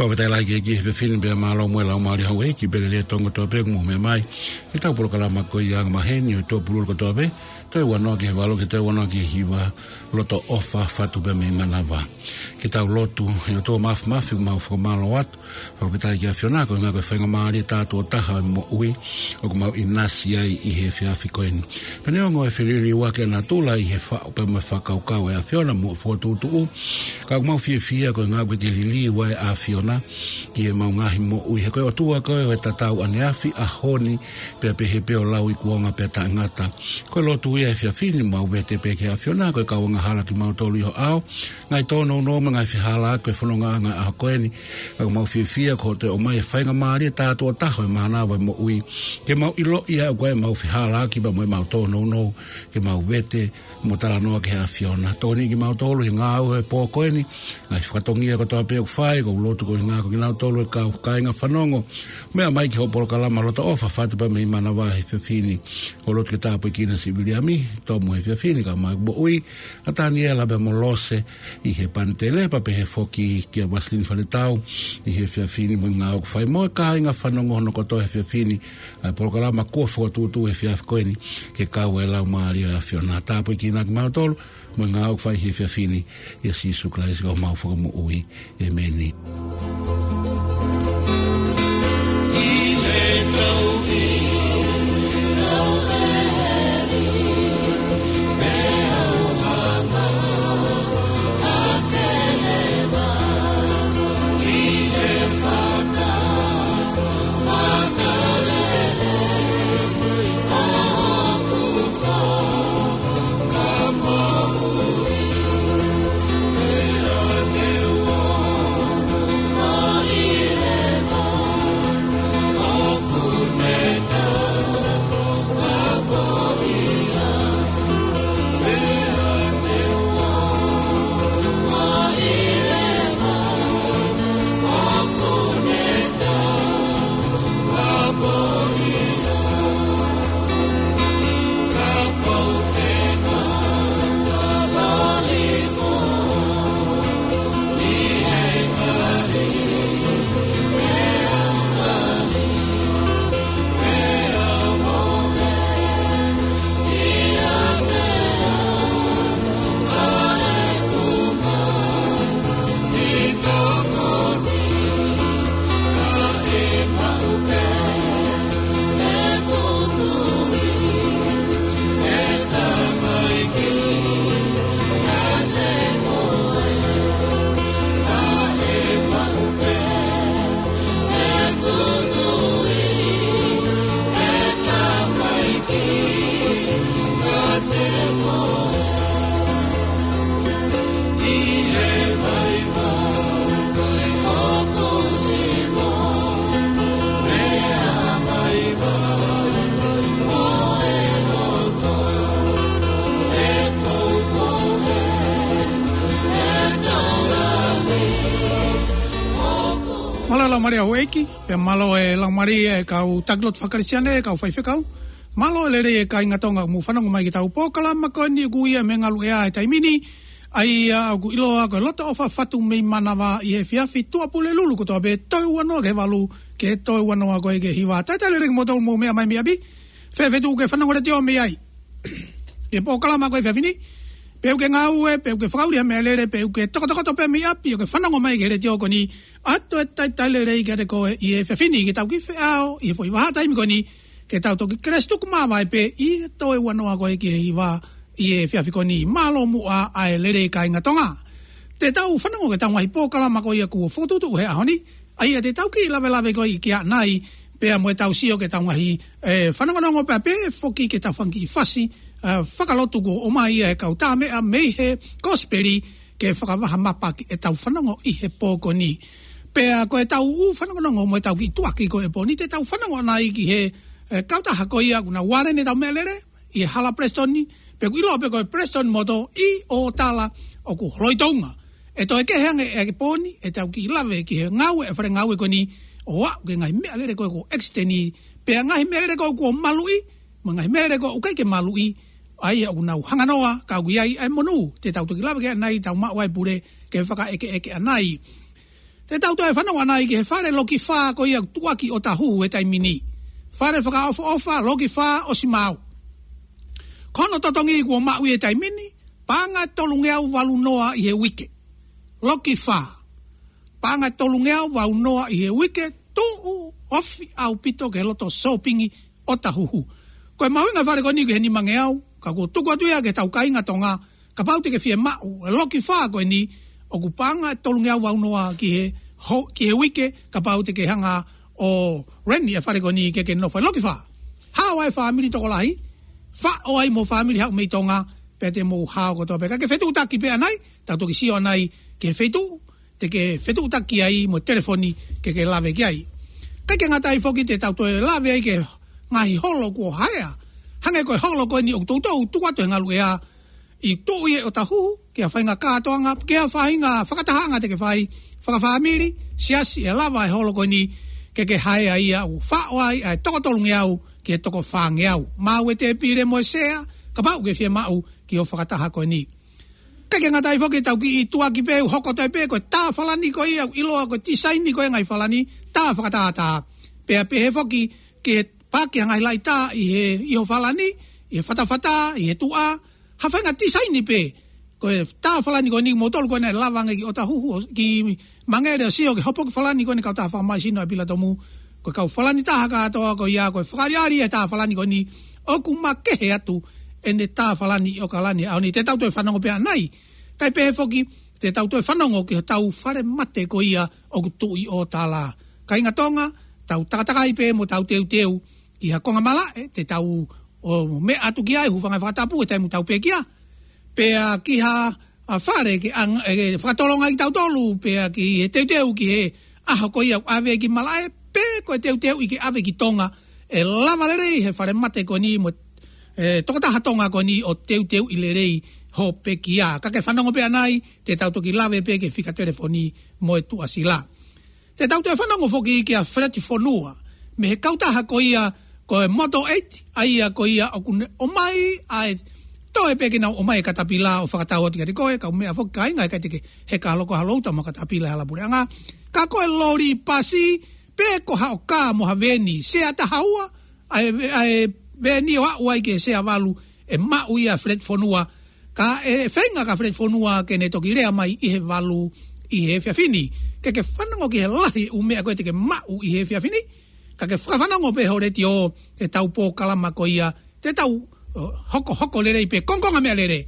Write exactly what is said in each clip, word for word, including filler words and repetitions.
ʻOku tau ʻi ai ki he efiafi ni pea mālō mo e laumālie houʻeiki pea lelei e toko kotoa pē ʻoku mou meʻa mai ki heʻetau polokalama ko ia ʻa e maheni ʻo e tuʻapulelulu kotoa pē, toe ua noa ki he valu ki he toe ua noa ki he hiva, loto ʻofa fatu pē mei manava. Ke tau lotu. ʻE ʻOtua Māfimafi, ʻoku mau fakamālō atu, fakafetaʻi ki he ʻAfiona, koeʻuhi ko e faingamālie tātuʻo taha ʻo e moʻui ʻoku mau ʻinasi ai ʻi he efiafi ko eni. Pea neongo e feliliuaki ʻa natula ʻi he faʻu pea mo e fakakaukau ʻa e ʻAfiona mo e fokotuʻutuʻu, ka ʻoku mau fiefia koeʻuhi ko e liliu ʻa e ʻAfiona ki heʻemau ngaahi moʻui. He ko e ʻOtua koe ʻo e tatau ʻaneafi, ʻaho ni, pea pehē pē ʻo lauikuonga pea taʻengata. Ko e lotu ia he efiafi ni, mau vete pē ki he ʻAfiona ko e kau angahala kimautolu ʻi ho ʻao, ngaahi tōnounou mo e ngaahi fehālaaki ʻo e fonongaʻanga ʻo e ʻaho ko eni. Ka ʻoku mau fiefia ko hoʻo toe ʻomai e faingamālie tātuʻo taha ʻo e mānava ʻo e moʻui, ke mau ʻiloʻi ʻa e ʻoku ʻi ai ʻemau fehālaaki pea mo ʻemau tōnounou, ke mau vete mo talanoa ki he ʻAfiona. Tokoniʻi kimautolu he ngāue he pō ko eni, ngaahi fatongia kotoa pē ʻoku fai, ʻoku ou lotu koeʻuhi ko kinautolu e kau kāinga fanongo, meʻa mai ki hoʻo polokalama loto ʻofa fatu pē mei manava he efiafi ni. ʻOku ou lotu ke tāpuekina Siviliami, Tomu he efiafi ni, kae ʻumaʻā e moʻui ʻa Taniela pea mo Lose ʻi he panitele, pea pehē foki kia Vasilini Fanetau ʻi he efiafi ni mo e ngāue ʻoku fai, mo e kāinga fanongo hono kotoa he efiafi ni, ʻa e polokalama kuo fokotuʻutuʻu he efiafi ko eni, ke kau e laumālie ʻo e ʻAfiona. Tāpuekina kimautolu mo e ngāue ʻoku fai he efiafi ni, ʻia Sīsū Kalaisi ko homau Fakamoʻui. ʻEmeni. Mālō e laumālie houʻeiki, pea mālō e laumālie e kau taki lotu faka-Kalisitiane, e kau faifekau. Mālō e lelei e kāinga Tonga ʻoku mou fanongo mai ki heʻetau polokalama ko eni ʻoku ui ia Mei he Ngaluʻea he taimi ni. ʻA ia ʻoku ʻiloa ko e loto ʻofa fatu mei manava ʻi he efiafi, tuʻapulelulu kotoa pē, toe ua noa ki he valu ki he toe ua noa ko ē ki he hiva. Talitali lelei kimoutolu ʻoku mou meʻa mai mei ʻapi. Fēfē tuʻu ke fanongo letiō mei ai? Ki he polokalama ko ē he efiafi ni, pe ʻoku ke ngāue, pe ʻoku ke fakaʻuli ha meʻalele, pe ʻoku ke tokotokoto pē mei ʻapi ʻo ke fanongo mai ki he letiō ko eni, ʻoatu e talitali lelei kiate koe ʻi he efiafi ni ke tau kiʻi feʻao ʻi he foʻi vahaʻa taimi ko eni, ke tau toki kelesi tuku māvae pē ʻi he toe ua noa ko ē ki he hiva ʻi he efiafi ko eni. Mālō muʻa ʻa e lelei kāinga Tonga. Te tau fanongo ki heʻetau ngaahi polokalama ko ia kuo fokotuʻutuʻu he ʻaho ni, ʻa ia te tau kiʻi lavelave ko ē ki ai ʻanai, pea mo ʻetau sio ki heʻetau ngaahi, e, fanongonongo pea pehē foki ki heʻetau fanga kiʻi fasi, e, fakalotu kuo ʻomai ʻe he kau tāmeʻa mei he Kosipeli ke fakavaha mapa ki heʻetau fanongo ʻi he pō ko eni. Pea ko ʻetau ʻū fanongonongo mo ʻetau kiʻi tuʻuaki ko ē he pō ni, te tau fanongo ʻanai ki he, e, kautaha ko ia ʻoku nau vale ʻenau meʻalele ʻi he hala Palesitoni, pe ʻoku ʻiloa pē ko e Palesitoni Motor ʻi ʻOtala, ʻoku holoi tounga. ʻE toe kehe ange ʻi he pō ni ʻetau kiʻi lave ki he ngāue ʻa e fale ngāue ko eni ʻo aʻu ki he ngaahi meʻalele ko ē kuo ʻekisiteni, pea ngaahi meʻalele ko ē kuo maluʻi, mo e ngaahi meʻalele ko ē ʻoku ʻikai ke maluʻi, ʻa ia ʻoku nau hanganoa, ka ʻoku ʻi ai ʻa e monū. Te tau toki lave ki ai ʻanai, tau maʻu ʻa e pule ke fakaʻekeʻeke ʻanai. Te tau toe fanongo ʻanai ki he fale Loki Fā ko ia ʻoku tuʻuaki ʻi ʻŌtāhuhu he taimi ni. Fale fakaʻofoʻofa, Loki Fā ʻosi maau. Ko hono totongi kuo maʻu ʻi he taimi ni, paʻanga ʻe tolungeau valu noa ʻi he uike. Loki Fā. Paʻanga ʻe tolungeau valu noa ʻi he uike, tuʻu ofi ʻaupito ki he loto sōpingi ʻo ʻŌtāhuhu. Ko e mahuʻinga e fale ko eni ki he nimangeau, ka kuo tuku atu ia ki heʻetau kāinga Tonga, kapau te ke fiemaʻu e Loki Fā ko eni, ʻoku paʻanga ʻe tolungeau valu noa ki he ho-, ki he uike, kapau te ke hanga ʻo rent e fale ko eni ke ke nofo ai. Loki Fā. Hao ai e fāmili tokolahi, faʻo ai mo e fāmili haʻu mei Tonga, pea te mou hao kotoa pē. Ka ke fetuʻutaki pē ʻanai, tau toki sio ʻanai ki he feituʻu te ke fetuʻutaki ai mo e telefoni ke ke lave ki ai. ʻIkai ke ngata ai foki, te tau toe lave ai ki he ngaahi holo kuo haea. Hangē ko e holo ko eni ʻoku toutou tuku atu he ngaluʻea, ʻoku tuʻu ia ʻi ʻŌtāhuhu, ki ha faʻahinga kātoanga, ki ha faʻahinga fakatahaʻanga te ke fai, fakafāmili, siasi, ʻe lava e holo ko eni ke ke haea ia, ʻo faʻo ai ʻa e toko tolungeau ki he toko fāngeau. Maʻu e tēpile mo e sea, kapau ʻoku ke fiemaʻu ke ke fakataha ko eni. ʻIkai ke ngata ai foki, tau kiʻi tuʻuaki pē, ʻoku hoko atu ai pē, ko e tā falani ko ia, ʻoku ʻiloa ko e tisaini ko ia e ngaahi falani, tā fakatātā. Pea pehē foki ki he paaki ha ngaahi laʻi tā ʻi he iho falani, ʻi he fatafata, ʻi he tuʻa, ha faʻahinga tisaini pē. Ko e tā falani ko eni, moutolu ko ena ʻe lava ange ki ʻŌtāhuhu, ki Mangere ʻo sio ki he hopoki falani ko eni e kautaha fakamaʻu sino ʻa e Pilatomu. Ko e kau falani taha kātoa ko ia, ko e fakaʻaliʻali e tā falani ko eni, ʻoku makehe atu ʻene tā falani ʻi ʻAokalani. ʻAho ni te tau toe fanongo pē ʻanai. Kae pehē foki, te tau toe fanongo ki hotau fale mate ko ia ʻoku tuʻu ʻi ʻŌtala. Kāinga Tonga, tau takatakai pē mo tau teuteu ki ha konga malaʻe, te tau ō meʻa atu ki ai, hūfanga he fakatapu, he taimi ʻoku tau pekia. Pea ki ha, ʻa, fale ke ʻang-, ʻe, fakatolonga ai kitautolu, pea ki he teuteu ki he ʻaho ko ia ʻoku ʻave ki malaʻe, pe ko e teuteuʻi ke ʻave ki Tonga, ʻe lava lelei he fale mate ko eni mo e, ʻe, tokotaha Tonga ko eni ʻo teuteuʻi lelei hoʻo pekia. Ka ke fanongo pē ʻanai, te tau toki lave pē ki he fika telefoni mo e tuʻasila. Te tau toe fanongo foki kia Feleti Fonua, mei he kautaha ko ia ko e Moto Eight, ʻa ia ko ia ʻoku ne ʻomai ʻa e toe pē ke nau ʻomai e katapila ʻo fakatau atu kiate koe, kau meʻa foki kāinga, ʻikai te ke heka holo koe ha louta mo e katapila he hala puleʻanga. Ka ko e loli pasi, pe ko ha ʻoka mo ha veni, sea taha ua, ʻa e, ʻa e veni ʻo aʻu ai ki he sea valu, ʻe maʻu ia ʻe Feleti Fonua. Ka ʻe feinga ʻa Feleti Fonua ke ne toki lea mai ʻi he valu ʻi he efiafi ni. Ke ke fanongo ki he lahi e ʻū meʻa ko ē te ke maʻu ʻi he efiafi ni. Ka ke fakafanongo pē ho letiō, ʻetau polokalama ko ia, te tau, ʻo, hokohoko lelei pē, kongokonga meʻalele.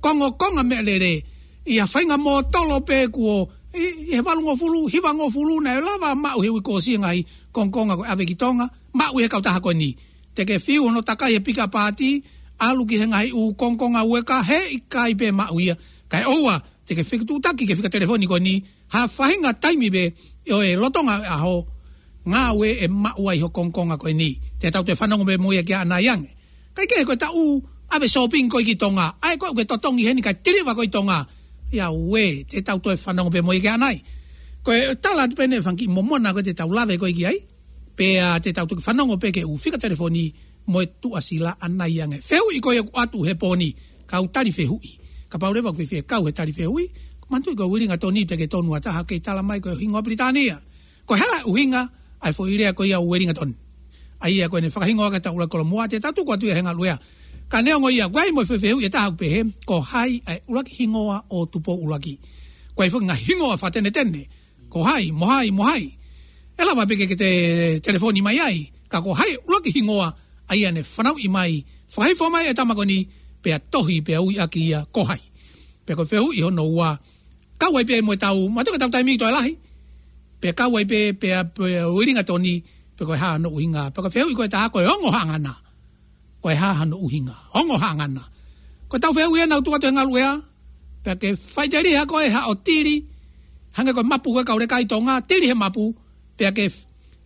Kongokonga meʻalele. ʻI ha faʻahinga mōtolo pē kuo, ʻi, ʻi he valungofulu, hivangofulu naʻe lava maʻu he uike kuo ʻosi e ngaahi kongokonga ko e ʻave ki Tonga, maʻu ʻe he kautaha ko eni. Te ke fiu hono takai he pika paati, ʻalu ki he ngaahi ʻū kongokonga ueka, heʻikai pē maʻu ia. Kae ʻoua, te ke fetuʻutaki ki he fika telefoni ko eni, ha faʻahinga taimi pē ʻo e lolotonga ʻaho, ngāue ʻe maʻu ai ho kongokonga ko eni. Te tau toe fanongo pē mo ia kia ʻanai ange. Kae kehe ko e taʻu ʻave sōpingi ko ē ki Tonga, ʻa ē ko ē ʻoku ke totongi heni kae tiliva ko ē ʻi Tonga. ʻIa uē, te tau toe fanongo pē mo ia kia ʻanai. Ko e tala atu pē eni e fanga kiʻi momona ko ē te tau lave ko ē ki ai. Pea te tau toki fanongo pē ki he ʻū fika telefoni mo e tuʻasila ʻanai ange. Fehuʻi ko ia ʻoku ʻoatu he pō ni, kau tali fehuʻi. Kapau leva ʻoku ke fie kau he tali fehuʻi, ko e manatuʻi ko Uelingatoni pē ke tonu ʻa taha kei tala mai ko e hingoa Pilitānia. Ko e hā e ʻuhinga ʻa e foʻi lea ko ia Uelingatoni? ʻA ia ko ʻene fakahingoa ki he Tau ʻUluaki Kolomuʻa, te tau tuku atu ia he ngaluʻea. Ka neongo ia, ʻoku ʻi ai mo e fefehuʻi ʻe taha ʻoku pehē, ko hai ʻa e ʻuluaki hingoa ʻo Tupou ʻUluaki? ʻOku ʻi ai foki e ngaahi hingoa fakatenetene. Ko hai, mo hai, mo hai. ʻE lava pē ke ke te telefoni mai ai, ka ko hai e ʻuluaki hingoa ʻa ia naʻe fanauʻi mai, fakahifo mai ʻe he tama ko eni, pea tohi, pea ui ʻaki ia ko hai. Pea ko e fehuʻi hono ua, kau ai pē mo ʻetau, manatuʻi ko ʻetau taimi ʻoku toe lahi. Pea kau ai pē, pea, pea Uelingatoni, pe ko e hā hono ʻuhinga. Pea ko e fehuʻi ko ē ʻe taha ko e ongo haʻangana. Ko e hā hono ʻuhinga. Ongo haʻangana. Ko ʻetau fehuʻi ʻe nau tuku atu he ngaluʻea, pea ke faʻiteliha koe haʻo tili, hangē ko e mapu ko ē kau leka ʻi Tonga, tili he mapu, pea ke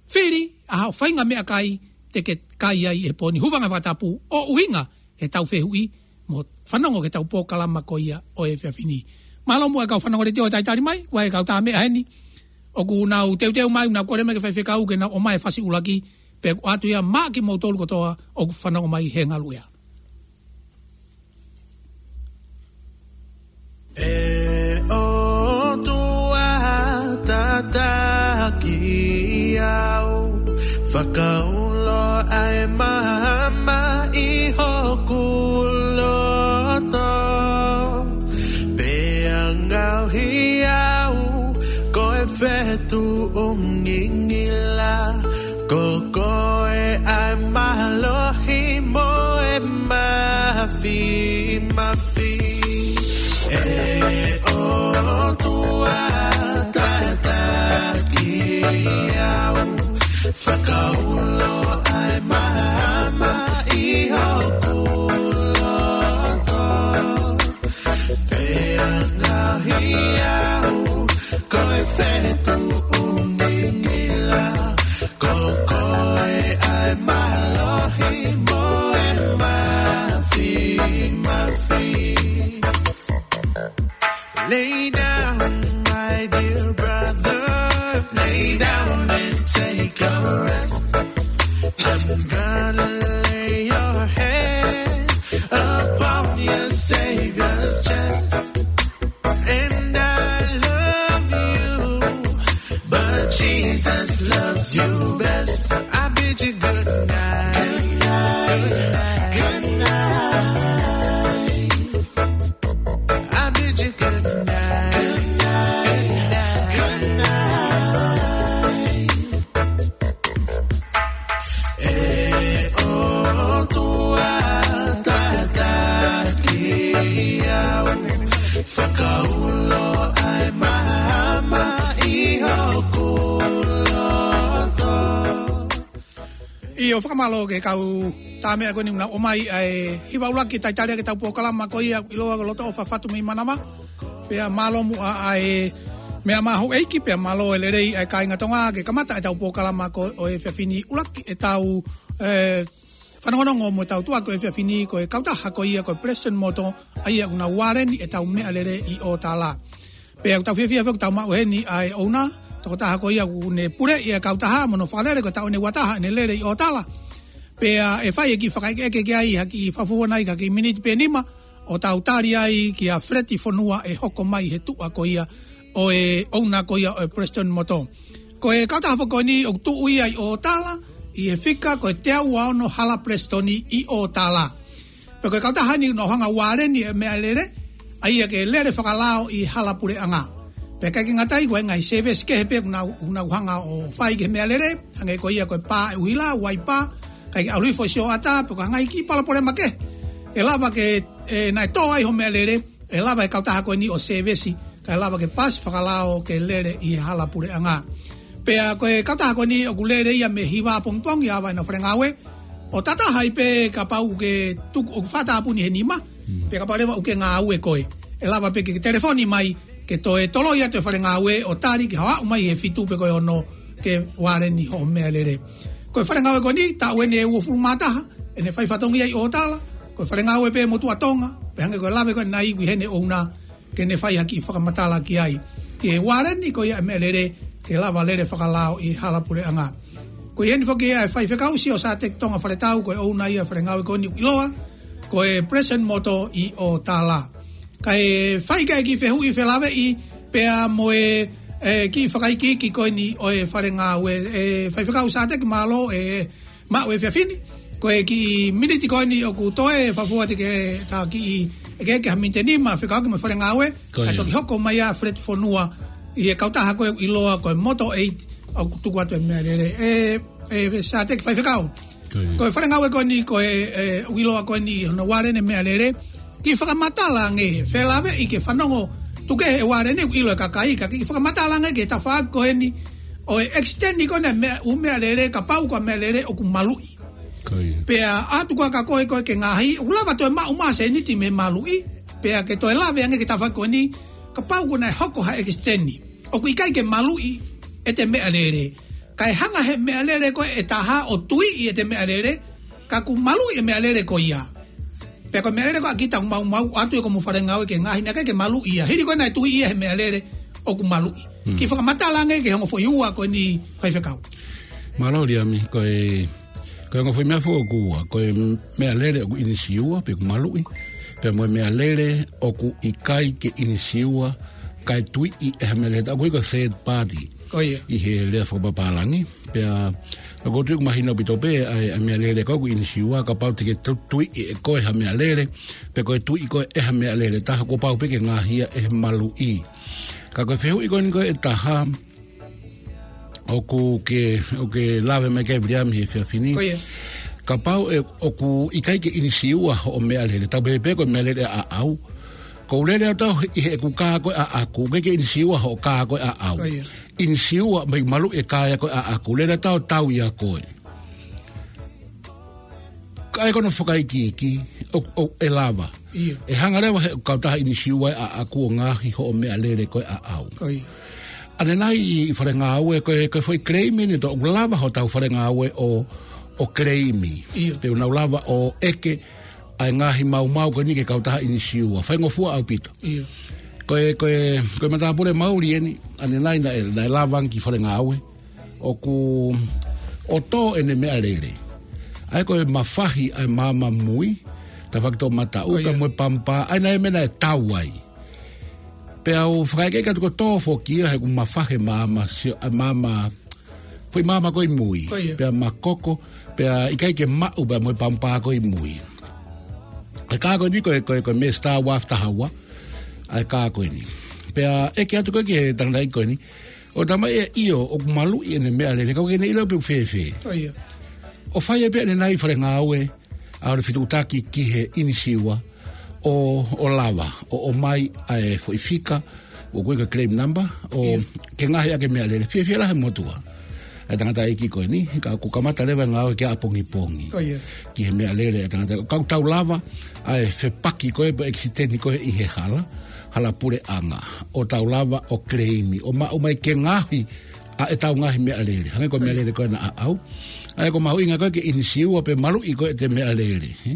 fili ʻa haʻo faʻahinga meʻakai te ke kai ai he pō ni. Hūfanga he fakatapu ʻo ʻuhinga ki heʻetau fehuʻi, mo fanongo ki heʻetau polokalama ko ia ʻo e efiafi ni. Mālō muʻa e kau fanongo letiō ʻoku talitali mai, ʻoku ʻi ai e kau tā meʻa heni ʻoku nau teuteu mai, nau kole mai ki he faifekau ke nau ʻomai e fasi ʻuluaki, pea ʻoatu ia maʻa kimoutolu kotoa ʻoku fanongo mai he ngaluʻea. ʻE ʻOtua, ta Fakaulo ʻa e maama ʻi hoku loto, pea ngaohi au ko e fetuʻu ngingila, ko koe ʻa e mālohi mo e mafimafi. ʻE ʻOtua, tataki au, fakaulo ʻa e maama ʻi hoku loto, pea ngaohi au ko e fetuʻu ngingila, ko koe ʻa e mālohi mo e mafimafi. Lay down, my dear brother. Lay down and take a rest. I'm gonna lay your head upon your Savior's chest. And I love you, but Jesus loves you best. I bid you good night. Good night. Good night. I bid you good night. Good night. Good night. ʻE ʻOtua, tataki au, fakaulo ʻa e maama ʻi hoku loto. ʻIo, fakamālō ki he kau tā meʻa ko eni ʻoku nau ʻomai ʻa e hiva ʻuluaki Taitalia ki heʻetau polokalama ko ia ʻoku ʻiloa ko e Loto ʻOfa Fatu mei Manava. Pea mālō muʻa ʻa e meʻa mahuʻinga, pea mālō e lelei ʻa e kāinga Tonga ke kamata ʻetau polokalama ko ē ʻo e efiafi ni. ʻUluaki ʻetau, ē, fanongonongo mo ʻetau tuʻa ko ē he efiafi ni ko e kautaha ko ia ko e Prestone Motors, ʻa ia ʻoku nau vāleni ʻetau meʻalele ʻi ʻŌtala. Pea ʻoku tau fiefia foki ʻoku tau maʻu heni ʻa e ʻouna, tokotaha ko ia ʻoku ne puleʻi e kautaha mo hono fakalele ko e taʻu ʻeni ʻe ua taha ʻene lele ʻi ʻŌtala. Pea ʻe fai e kiʻi fakaʻekeʻeke ki ai ha kiʻi fakafofonga, ha kiʻi miniti pe nima, ʻo tau tali ai kia Feleti Fonua ʻe hoko mai he tuʻa ko ia ʻo e ʻouna ko ia ʻo e Prestone Motors. Ko e kautaha foki ko eni ʻoku tuʻu ia ʻi ʻŌtala, ʻi he fika ko e teau ua ono Hala Prestone ʻi ʻŌtala. Pea ko e kautaha ni ʻoku nau hanga ʻo vāleni e meʻalele, ʻa ia ke lele fakalao ʻi hala puleʻanga. Pea ʻikai ke ngata ai, ko e ngaahi sēvesi kehe pē ʻoku nau, ʻoku nau hanga ʻo fai ki he meʻalele, hangē ko ia ko e pā e ʻuhila, uaipa, kae ʻalu hifo e sioʻata, pe ko e ngaahi kiʻi palopalema kehe. ʻE lava ke, ē, naʻe tō ai hoʻo meʻalele, ʻe lava e kautaha ko eni ʻo sēvesi, kae lava ke pasi fakalao ke lele ʻi he hala puleʻanga. Pea ko e kautaha ko eni ʻoku lele ia mei he hiva pongipongi ʻo aʻu ki he faʻahinga faʻahinga ngāue, ʻo tātātaha ai pē kapau ʻoku ke tuku, ʻoku fakatāpuni he nima, Mm. pe kapau leva ʻoku ke ngāue koe. ʻE lava pē ke ke telefoni mai, ke toe toloi atu e faʻahinga ngāue ʻo tali ke haʻu mai he fitu pe ko e ono ke vāleni hoʻo meʻalele. Ko e faʻahinga ngāue ko eni, taʻu ʻeni ʻe uofulu mā taha ʻene fai fatongia ʻi ʻŌtala, ko e faʻahinga ngāue pē motuʻa Tonga, pea hangē ko e lave ko ē naʻe ʻi ai ʻene ʻouna, ke ne fai ha kiʻi fakamatala ki ai. Ke vāleni ko ia e meʻalele, ke lava lele fakalao ʻi hala puleʻanga. Ko ia ʻeni foki ʻa e faifekau Siosateki Tonga Faletau, ko e ʻouna ia e faʻahinga ngāue ko eni ʻoku ʻiloa ko e Prestone Motors ʻi ʻŌtala. Kae fai ki ai e kiʻi fehuʻi felāveʻi pea mo e, ē, kiʻi fakaikiiki ko eni ʻo e faʻahinga ngāue, ē, faifekau Sateki, mālō e maʻu e efiafi ni. Ko e kiʻi miniti ko eni ʻoku toe, fakafofonga atu ke ta kiʻi ʻeke, ʻeke ha miniti ʻe nima, fekauʻaki mo e faʻahinga ngāue. Ko ia. Kae toki hoko mai ʻa Feleti Fonua ʻi he kautaha ko ē ʻoku ʻiloa ko e Motor Aid, ʻoku tuku atu e meʻalele. Ē, ē, Sateki, faifekau. Ko ia. Ko e faʻahinga ngāue ko eni, ko e, ē, ʻoku ʻiloa ko eni hono vāleni e meʻalele. Kiʻi fakamatala ange, felāveʻi ke fanongo, tuku kehe e vāleni ʻoku ʻilo ʻe he kakai, ka kiʻi fakamatala ange ki he tafaʻaki ko eni ʻo e ʻekisiteni ko ena e meʻa, ʻū meʻalele, kapau ko ha meʻalele ʻoku maluʻi. Ko ia. Pea ʻatu koā kia koe, koe ke ngaohi, ʻoku lava toe maʻu mai ha sēniti mei he maluʻi, pea ke toe lave ange ki he tafaʻaki ko eni, kapau kuo nau hoko ha ʻekisiteni ʻoku ʻikai ke maluʻi ʻete meʻalele. Kae hanga ʻe he meʻalele ko ē ʻe taha ʻo tuiʻi ʻete meʻalele, ka kuo maluʻi e meʻalele ko ia. Pea ko e meʻalele ko ē ʻa kita ʻoku maumauʻi atu ʻe hoʻomo faʻahinga ngāue ke ngaohi, naʻe ʻikai ke maluʻi ia. Hili ko ē naʻe tuiʻi ia ʻe he meʻalele ʻoku maluʻi. Hmm. Kiʻi fakamatala ange ki he ongo foʻi ua ko eni, faifekau. Mālō Liami, ko e, ko e ongo foʻi meʻa foki ʻoku ua, ko e meʻalele ʻoku ʻinisiua pe ʻoku maluʻi, pea mo e meʻalele ʻoku ʻikai ke ʻinisiua, kae tuiʻi ʻe ha meʻalele, ʻoku ui ko e third party. Ko ia. ʻI he lea fakapapālangi, pea ʻOku ou tui ʻoku mahino ʻaupito pē ʻa e, ʻa e meʻalele ko ē ʻoku ʻinisiua, kapau te ke tu-, tuiʻi ʻe koe ha meʻalele, pe ko e tuiʻi koe ʻe ha meʻalele ʻe taha, kuo pau pē ke ngaahi ia ʻe he maluʻi. Ka ko e fehuʻi ko eni ko ē ʻe taha, ʻoku ke, ʻoku ke lave mai ki ai Viliami he efiafi ni. Ko ia. Kapau ʻe, ʻoku ʻikai ke ʻinisiua hoʻo meʻalele, tau pehē pē ko e meʻalele ʻaʻau. Ko u lele ʻo tau ʻi heʻeku kā ko ē ʻaʻaku, ʻikai ke ʻinisiua hoʻo kā ko ē ʻaʻau. Ko ia. ʻInisiua mai maluʻi e kā ia ko ē ʻaʻaku, lele ʻo tau tau ia koe. Ka ʻi ai ko hono fakaikiiki, ʻo, ʻo, ʻe lava. Ia. ʻE hanga leva he kautaha ʻinisiua ʻaʻaku ʻo ngaohi hoʻo meʻalele ko ē ʻaʻau. Ko ia. ʻAnenai ʻi fale ngāue ko e, ko e foʻi claim eni ʻoku lava hotau fale ngāue ʻo, ʻo claim. Ia. Pea ʻoku nau lava ʻo ʻeke ʻa e ngaahi maumau ko eni ki he kautaha ʻinisiua. Faingofua ʻaupito. Ia. Ko e, ko e, ko e matāpule mauli eni, ʻanenai naʻe, naʻe lava ange ki fale ngāue. ʻOku, ʻo tō ʻene meʻalele. ʻA ia ko e mafahi ʻa e maama mui, tafaʻaki toʻomataʻu, ko ia, pea mo e pampa, ʻa ia naʻe meʻa naʻe tau ai. Pea u fakaʻekeʻeke atu ko e tō foki ia he ʻoku mafahi e maama, sio, ʻa e maama, foʻi maama ko ē ʻi mui. Ko ia. Pea makoko, pea ʻikai ke maʻu, pea mo e pampa ko ē ʻi mui. ʻA e kā ko eni ko e, ko e, ko e Mesta Wharf Tahaua, ʻa e kā ko eni. Pea ʻeke atu ko ē ki he tangataʻeiki ko eni, ʻo talamai ʻe ia ʻoku maluʻi ʻene meʻalele, ka ʻoku ʻikai ke ne ʻilo pe ʻoku fēfē. Ko ia. ʻO fai ai pē ʻanenai fale ngāue, ʻa hono fetuʻutaki ki he ʻinisiua, ʻo, ʻo lava, ʻo, ʻomai ʻa e foʻi fika, ʻoku ui ko e claim number, ʻo, ia, ke ngaohi ʻaki e meʻalele, fiefia lahi e motuʻa ʻa e tangataʻeiki ko eni, ka ʻoku kamata leva e ngāue ki ʻapongipongi. Ko ia. Ki he meʻalele ʻa e tangataʻeiki, ka ʻoku tau lava, ʻa e fepaki ko ē, pe ʻekisiteni ko ē ʻi he hala, hala puleʻanga, ʻo tau lava, ʻo claim, ʻo maʻu mai ke ngaohi, ʻa ʻetau ngaahi meʻalele. Hangē ko e meʻalele ko ena ʻaʻau. ʻA ia ʻoku mahuʻinga ko ē ke ʻinisiua pe maluʻi ko ē ʻete meʻalele. Ē?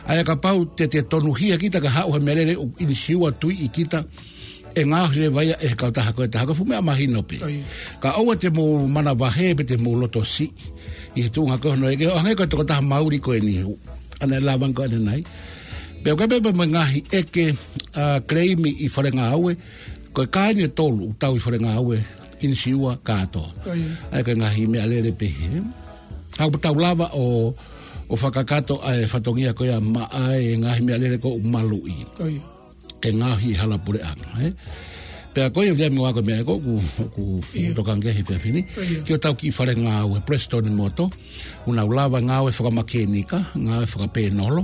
ʻA ia kapau te te tonuhia kita ka haʻu ha meʻalele ʻoku ʻinisiua tuiʻi kita ʻe ngaohi leva ia ʻe he kautaha ko ē ʻe taha ko e fuʻu meʻa mahino pē. Ko ia. Ka ʻoua te mou manavahē pe te mou loto siʻi. ʻI he tuʻunga ko ē hono ʻeke, ʻo hangē ko e tokotaha mauli ko eni. ʻAna e lava ange ko ē ʻanenai. Pea ʻoku ʻi ai pē pea mo e ngaahi ʻeke, ʻa, claim ʻi fale ngāue. Ko e kā eni ʻe tolu, tau ʻi fale ngāue, ʻinisiua kātoa. Ko ia. ʻA ia ko e ngaahi meʻalele pehē. Ka ʻoku tau lava ʻo, ʻo fakakakato ʻa e fatongia ko ia maʻa e ngaahi meʻalele ko ē ʻoku maluʻi. Ko ia. ʻE ngaohi ʻi hala puleʻanga, ē? Pea ko ia Viliami, ko e meʻa ko ē ʻoku, ʻoku, ʻoku, ia, tokanga ki ai he efiafi ni. Ko ia. Ki hotau kiʻi fale ngāue, Prestone Motor, ʻoku nau lava ngāue fakamākenika, ngāue fakapēnolo,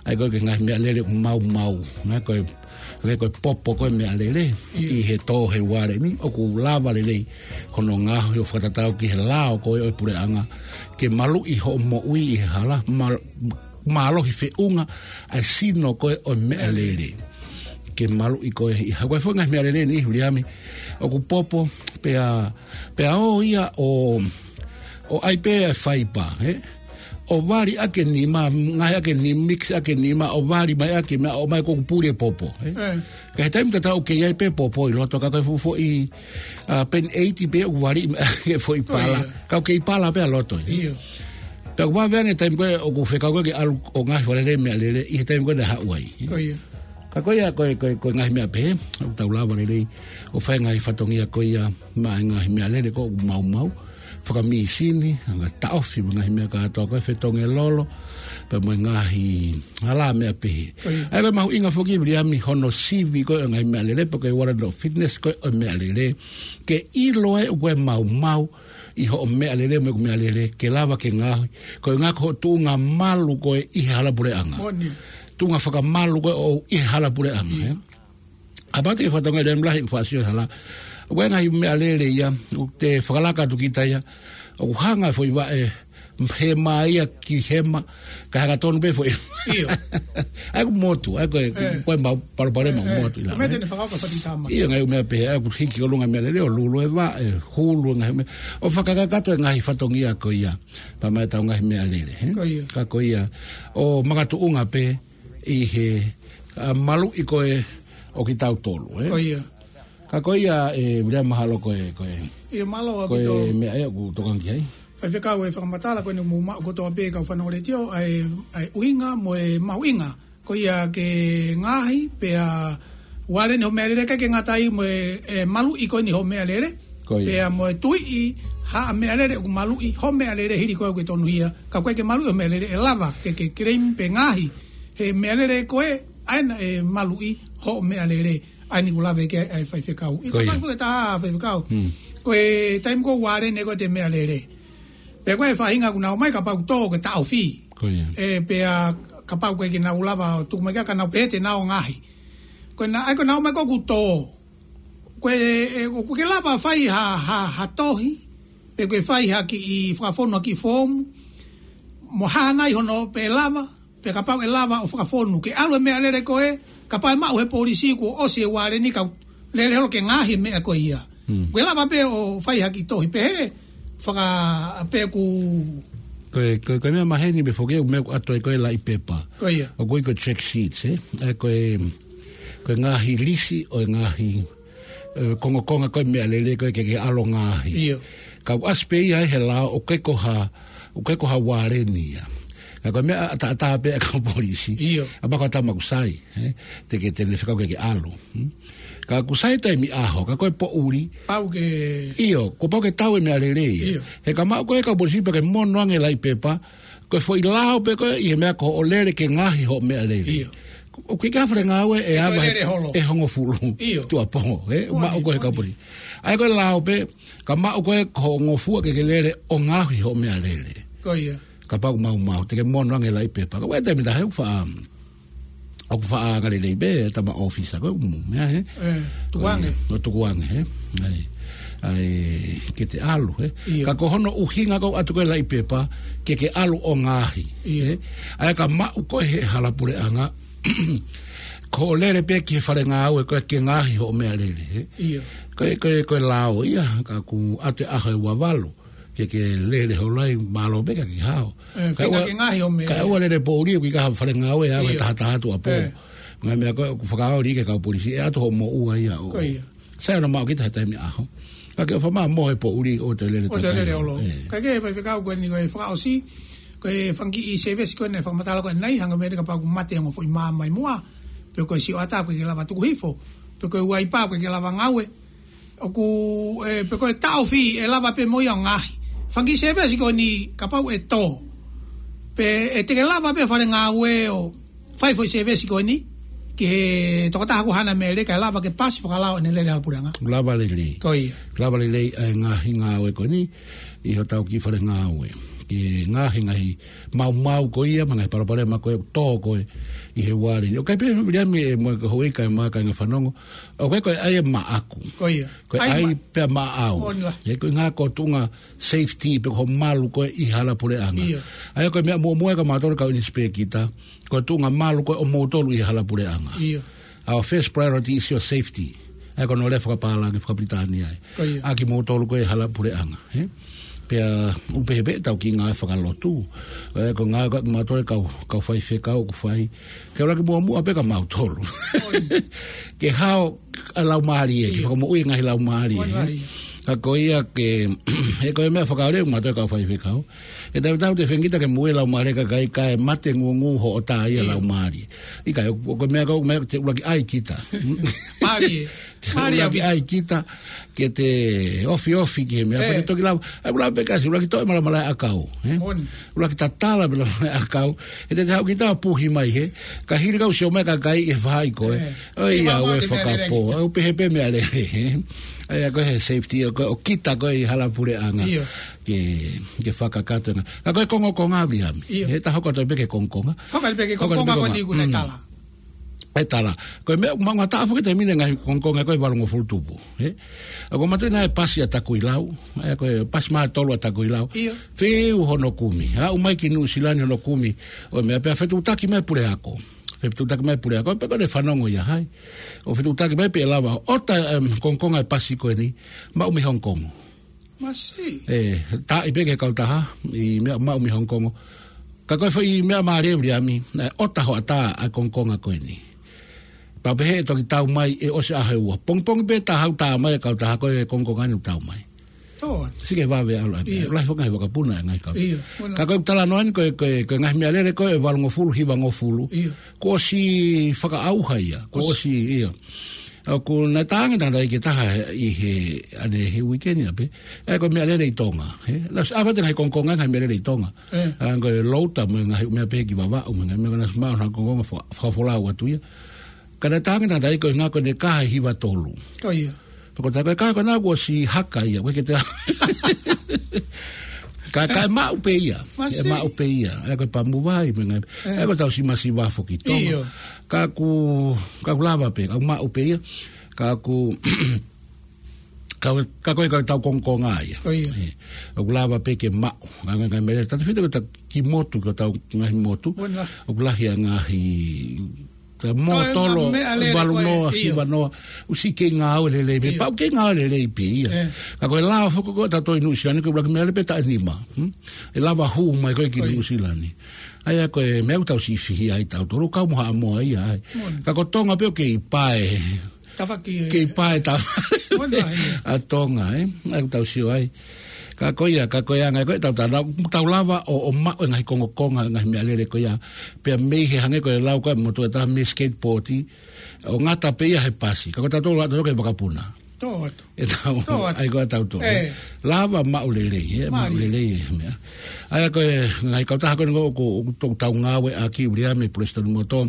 ʻa ia ko ē ki he ngaahi meʻalele ʻoku maumau, ngaahi ko e, ngaahi ko e popo ko ē meʻalele, ia, ʻi he tō he uale ni, ʻoku lava lelei hono ngaohi ʻo fakatatau ki he lao ko ē ʻo e puleʻanga, ke maluʻi hoʻo moʻui ʻi he hala, ma-, mālohi feʻunga ʻa e sino ko ē ʻo e meʻalele. Ke maluʻi ko ē ʻi ha-, ko e foʻi ngaahi meʻalele ni, Viliami, ʻoku popo, pea, pea ō ia ʻo, ʻo ʻai pē ʻa e faipa, ē? ʻO vali ʻaki e nima, ngaohi ʻaki e nima, mix ʻaki e nima, ʻo vali mai ʻaki e meʻa, ʻomai ko ē ʻoku puli e popo, ē? Ē. Ka he taimi tatau ʻoku kei ʻi ai pē popo ʻi loto, ka ko e fuʻu foʻi, ʻa, peni ʻeiti pē ʻoku vali mai ʻaki e foʻi pala. Ko ia. Ka ʻoku kei pala pē ʻa loto, ē? Ia. Pea ʻoku vave ange taimi ko ē ʻoku fekau ko ē ke ʻalu ʻo ngaohi fakalele meʻalele, ʻi he taimi ko ē naʻe haʻu ai. Ko ia. Ka ko ia, ko e, ko e, ko e ngaahi meʻa pehē, ʻoku tau lava lelei ʻo fai e ngaahi fatongia ko ia maʻa e ngaahi meʻalele ko ē ʻoku maumau, fakamīsini, anga taʻofi mo e ngaahi meʻa kātoa ko ē, fetongelolo, pea mo e ngaahi hala meʻa pehē. Ko ia. ʻA ia ko e mahuʻinga foki Viliami hono sivi ko ē ʻo e ngaahi meʻalele, pe ko e uala no fitness ko ē ʻo e meʻalele, ke ʻilo ai ʻoku ʻi ai e maumau ʻi hoʻo meʻalele mo ʻeku meʻalele, ke lava ke ngaohi. Ko e ʻuhinga ko hoʻo tuʻunga malu ko ē ʻi he hala puleʻanga. Moʻoni. Tuʻunga fakamalu ko ē ʻoʻou ʻi he hala puleʻanga, ia, ē? Kapau te ke fakatonga lem lahi ʻoku faʻa sio hala. ʻOku ʻi ai e ngaahi meʻalele ia, ʻoku te fakalaka atu kita ia, ʻoku hanga e foʻi vaʻe, hema ia ki hema, kae hanga tonu pē foʻi. Ia. ʻA ia ʻoku motu, ʻa ia ko e, ē, ko e mau palopalema, ē, ʻoku, ē, motu ʻi lalo, ko e meʻa te ne fakaʻoka fati tama. Ia, ngaahi meʻa pehē, ʻa ia ʻoku hiki ʻolunga meʻalele, ʻo lulu e vaʻe, hulu e ngaahi meʻa. ʻO fakakakato e ngaahi fatongia ko ia, pea mo ʻetau ngaahi meʻalele, ē? Ko ia. Ka ko ia, ʻo makatuʻunga pē ʻi he, ʻa, maluʻi ko ē ʻo kitautolu, ē? Ko ia. Ka ko ia, ē, Viliami, mahalo ko e, ko e, ia, mālō ko e ʻaupito. Meʻa ē ʻoku tokanga ki ai. Faifekau, e fakamatala ko eni mou maʻu kotoa pē kau fanongo letiō, ʻa e, ʻa e ʻuhinga mo e mahuʻinga ko ia ke ngaohi pē ʻa e uale ni hoʻo meʻalele, kae ʻikai ke ngata ai mo e, e maluʻi ko eni hoʻo meʻalele. Ko ia. Pea mo e tuiʻi ha meʻalele ʻoku maluʻi hoʻo meʻalele hili ko ē ʻoku ke tonuhia. Ka ʻoku ʻikai ke maluʻi hoʻo meʻalele, ʻe lava ke ke claim pe ngaohi he meʻalele ko ē ʻa ena ʻe maluʻi hoʻo meʻalele. ʻA eni ʻoku lave ki ai ʻa e faifekau. Ko ia. ʻIkai ke fuʻu taha faifekau. Hmm. Ko e taimi ko ē ʻoku vāleni ko ē ʻete meʻalele, pe ko e faʻahinga ʻoku nau ō mai kapau ʻoku tō ke taʻofi. Ko ia. Ē, pea kapau ʻoku ʻikai ke nau lava ʻo tuku mai ka, ka nau pehē te nau ngaohi. Ko ena, ʻa ia ko ʻenau ō mai ko ē ʻoku tō, ko e, ʻe, ʻoku ke lava fai ha, ha, ha tohi, pe ko e fai ha kiʻi fakafonu ha kiʻi foomu, mo hānai hono pe lava, pe kapau ʻe lava ʻo fakafonu ke ʻalu e meʻalele ko ē, kapau ʻe maʻu he polisi kuo ʻosi e vāleni ka lele holo ke ngaohi e meʻa ko ia. Hmm. Ko e lava pē ʻo fai ha kiʻi tohi pehē, faka-, pe ʻoku Ko e, ko e, ko e meʻa maheni pē foki ʻoku meʻa ʻoku ʻatu ai ko e laʻi pepa. Ko ia. ʻOku ui ko e check sheets, ē? ʻA ia ko e, ko e ngaahi lisi ʻo e ngaahi, ē, kongokonga ko e meʻalele ko ē ke ke ʻalu ʻo ngaohi. ʻIo. Ka ʻoku ʻasi pē ia he lao ʻoku ʻikai ko ha, ʻoku ʻikai ko ha vāleni ia. Ka ko e meʻa ʻataʻatā pē ʻa e kau polisi. ʻIo. ʻA ia ko e tama ʻoku sai, ē? Te ke, te ne fekau ke ke ʻalu. Hmm? Ka ʻoku sai taimi ʻaho, ka ko e poʻuli. Pau ke ʻIo, kuo pau ke tau e meʻalele ia. ʻIo. He ka maʻu ko ē kau polisi pea ke mono ange laʻi pepa, ko e foʻi lao pē ko ē ʻi he meʻa ko hoʻo lele ke ngaohi hoʻo meʻalele. ʻIo. ʻOku ʻikai ke ʻi ai ha fale ngāue ʻe Ke ava ko e he, lele holo. ʻe hongofulu. ʻIo. Tuʻuapō, ē? Moʻoni, Maʻu ko ē he kau moʻoni. polisi. ʻA ia ko e lao pē, ka maʻu ko ē ko hoʻo ngofua ke ke lele ʻo ngaohi hoʻo meʻalele. Ko ia. Kapau ʻoku maumau, te ke mono ange laʻi pepa. Ka ʻoku ʻi ai e taimi ʻe taha ʻoku faʻa, ʻoku faʻa angalelei pē, tama ʻōfisa ko ē, mm, meʻa, ē? Ē, tukuange. ʻO tukuange, ē? ʻA ia, ʻa ia, ke te ʻalu, ē? ʻIo. Ka ko hono ʻuhinga ko ē ʻoku ʻatu ko ē laʻi pepa, ke ke ʻalu ʻo ngaohi, ʻIo. ē? ʻA ia ka maʻu ko ē he hala puleʻanga, ko hoʻo lele pē ki he fale ngāue ko ē ke ngaohi hoʻo meʻalele, ē? ʻIo. Ko e, ko e, ko e lao ia, ka ʻoku ʻatu e ʻaho ʻe ua valu ke ke lele holo ai, mālō pē ka ke hao. Ē, Ka feinga ʻoua, ke ngaohi hoʻo meʻa. ka ʻoua lele poʻuli, ʻoku ʻikai ha fale ngāue ʻe ava he ʻIo. taha taha tuʻuapō. Ē. Ngaahi meʻa ko ē ʻoku fakaoli ki he kau polisi, ʻe ʻatu hoʻo moʻua ia ʻo. Ko ia. Sai hono maʻu kita he taimi ʻaho. Ka ke ʻofa mai mo e poʻuli ʻoua te lele ʻOua te takai. lele holo. Ē. Ka ko e faifekau ko eni ko e fakaʻosi, ko e fanga kiʻi sēvesi ko eni fakamatala ko eni, hangē ko e meʻa kapau ʻoku mate ongo foʻi mā mai muʻa, pe ko e sioʻata ʻoku ʻikai ke lava tuku hifo, pe ko e uaipa ʻoku ʻikai ke lava ngāue, ʻoku, ē, pe ko e taʻofi, ʻe lava pē mo ia ʻo ngaohi. Fanga kiʻi sēvesi ko eni kapau ʻe tō, pe ʻe te ke lava pē fale ngāue ʻo fai foʻi sēvesi ko eni ki he tokotaha ʻoku haʻane meʻalele kae lava ke pasi fakalao ʻene lele hala puleʻanga. Lava lelei. Ko ia. Lava lelei ʻa e ngaahi ngāue ko eni ʻi hotau kiʻi fale ngāue. Ke ngaohi e ngaahi maumau ko ia, mo e ngaahi palopalema ko ē ʻoku tō ko ē ʻi he vāleni. ʻOku ʻikai pē Viliami, ē, mo e ko hoʻi kae ʻumaʻā e kāinga fanongo. ʻOku ʻikai ko e ʻai ʻe maʻaku. Ko ia. Ko e ʻAi ʻai ma- pē ʻa maʻau. Moʻoni lā. Ē, ko e ʻuhinga ko e tuʻunga safety pe ko hoʻo malu ko ē ʻi hala puleʻanga. ʻIo. ʻA ia ko e meʻa muʻomuʻa ia kia mautolu kau inisipēkita, ko e tuʻunga malu ko ē ʻo moutolu ʻi hala puleʻanga. ʻIo. Our first priority is your safety. ʻA ia ko hono lea fakapālangi fakapilitānia ia. Ko ia. ʻA kimoutolu ko ē hala puleʻanga, ē? Pea ʻoku pehē pē ʻetau kiʻi ngāue fakalotu. Ē, ko e ngāue ko ē ʻa mautolu kau, kau faifekau ʻoku fai. Ke ʻuluaki muʻomuʻa pē kia mautolu. Moʻoni. Ke hao ʻa e laumālie, ke ʻIo. fakamoʻui e ngaahi laumālie, Moʻoni ē? lā ia. Ka ko ia ke, he ko e meʻa fakaoli ʻa mautolu kau faifekau. ʻE tautau te fengita ke moʻui e laumālie ʻa e kakai kae mate ngūngū hoʻatā ia ʻIo. laumālie. ʻIkai, ʻo, ʻo ko e meʻa ko ē, meʻa te ʻuluaki ʻai kita. Mālie. Mālie ʻUluaki ʻaupito. ʻAi kita ke te ofiofi ki he meʻa, Ē. pea te toki lava. ʻAi ʻuluaki pē kasi, ʻuluaki toʻo e malamalaʻi ʻakau, ē? Moʻoni. ʻUluaki tatala e malamalaʻi ʻakau. He te te haʻu kita ʻo puhi mai, ē? Ka hili kau sio mai e kakai ʻi he faʻahi ko ē. Ē. ʻOi, Te ia, mau ʻoua te meʻalele fakapō. kita. ʻOku pehē pē meʻalele, ē? ʻA ia ko e safety ʻo ko ē ʻo kita ko ē ʻi hala puleʻanga. ʻIo. Ke, ke fakakakato ʻa e ngaahi. Ka ko e kongokonga Viliami. ʻIo. Ē, ta hoko atu pē ki he kongokonga. Hoko atu pē ki he Hoko atu pē kongokonga ko ē kongokonga. eni ʻoku ne Mm. tala. ʻE tala. Ko e meʻa, maʻu ngataʻa foki e taimi ni e ngaahi kongokonga ko ē valungofulu tupu, ē? ʻOku ou manatuʻi naʻe pasi ʻa Takuilau, ē, ko e pasi mā tolu ʻa Takuilau. ʻIo. Fiu hono kumi. Aʻu mai ki Nuʻu Sila ni hono kumi. ʻO meʻa pea fetuʻutaki mai puleako. Fetuʻutaki mai puleako. Pe ko ʻene fanongo ia hai. ʻO fetuʻutaki mai pe ʻe lava. ʻOta, em, kongokonga e pasi ko eni. Maʻu mei Hong Kong. Masi. Ē, taaʻi pē ki he kautaha, ʻi meʻa maʻu mei Hong Kong. Ka ko e foʻi meʻa mālie Viliami, ē, ʻota hoʻatā ʻa e kongokonga ko eni. Pea pehē ʻe toki tau mai ʻe ʻosi ʻaho ʻe ua. Pongipongi pē ta hau tā mai e kautaha ko e kongokonga ni ʻoku tau mai. ʻIo. Sike vave ʻalu ai. ʻIo. Lahi foki e ngaahi vakapuna e ngaahi kau. ʻIo, moʻoni. Ka ko e talanoa ni ko e, ko e, ko e ngaahi meʻalele ko ē valungofulu, hivangofulu. ʻIo. Kuo ʻosi fakaʻauha ia. Kuo ʻOsi. ʻOsi, ʻio. ʻOku na tangi tangataʻeiki ʻe taha ʻi he, ʻanai he weekend ia pē. ʻA ia ko e meʻalele ʻi Tonga. He, na ʻosi ʻave atu e ngaahi kongokonga, ngaahi meʻalele ʻi Tonga. ʻA ia ko e louta mo e ngaahi meʻa pē ki Vavaʻu, mo e ngaahi meʻa ko ena ʻosi maʻu ha kongokonga fa-, fakafolau atu ia. Ka na tangi tangataʻeiki ko e ngaahi ko ʻene kaha ʻi Hiva Tolu. Ko ia. Pea ko e taha ko e kaha ko ena kuo ʻosi haka ia, ko e ke te ka, ka e maʻu pē ia. Masi. E maʻu pē ia. ʻA ia ko e Pamuvai, mo e ngaahi. ʻA ia ko e tau si masi vafo ki Tonga. Ka ʻoku, ka ʻoku lava pē, ka ʻoku maʻu pē ia. Ka ʻoku, ka, ka ko e ka tau kongokonga ia. Ko ia. ʻOku lava pē ke maʻu. Ngaahi, ngaahi meʻalele. Tau fita ko e tau ki motu, ko e tau ngaahi motu. ʻOku lahi ʻa e ngaahi, ka mo tolo, meʻalele valu noa, hiva noa. ʻOsi kei ngāue lelei pē. Pau kei ngāue lelei pē ia. Ka ko e lao foki ko ē tautolu ʻi Nuʻusila ni ko e ʻuluaki meʻalele pē taʻe nima. Hmm? ʻE lava hū mai ko ē ki Nuʻusila ni. ʻA ia ko e meʻa ʻoku tau siʻi fihi ai tautolu, kau mo Haʻamoa ia ai. Ka ko Tonga pē ʻoku kei pae. Kei pae tafa. ʻA Tonga, ē? ʻA ia ʻoku tau sio ai. Ka ko ia, ka ko e anga ko ē tau tana, tau lava ʻo, ʻo maʻu e ngaahi kongokonga, ngaahi meʻalele ko ia. Pea mei he hangē ko e lau ko ē mo e taha mei he skateboard, ʻo ngata pē ia he pasi. Ka ko tautolu, tautolu ko e vakapuna. Tō atu. ʻE tau, ʻa ia ko ē tautolu. Lava maʻu lelei, ē, maʻu lelei, ē, meʻa. ʻA ia ko e ngaahi kautaha ko eni ʻoku, ʻoku tau ngāueʻaki ʻi ʻUliame, Palesiteni Moto.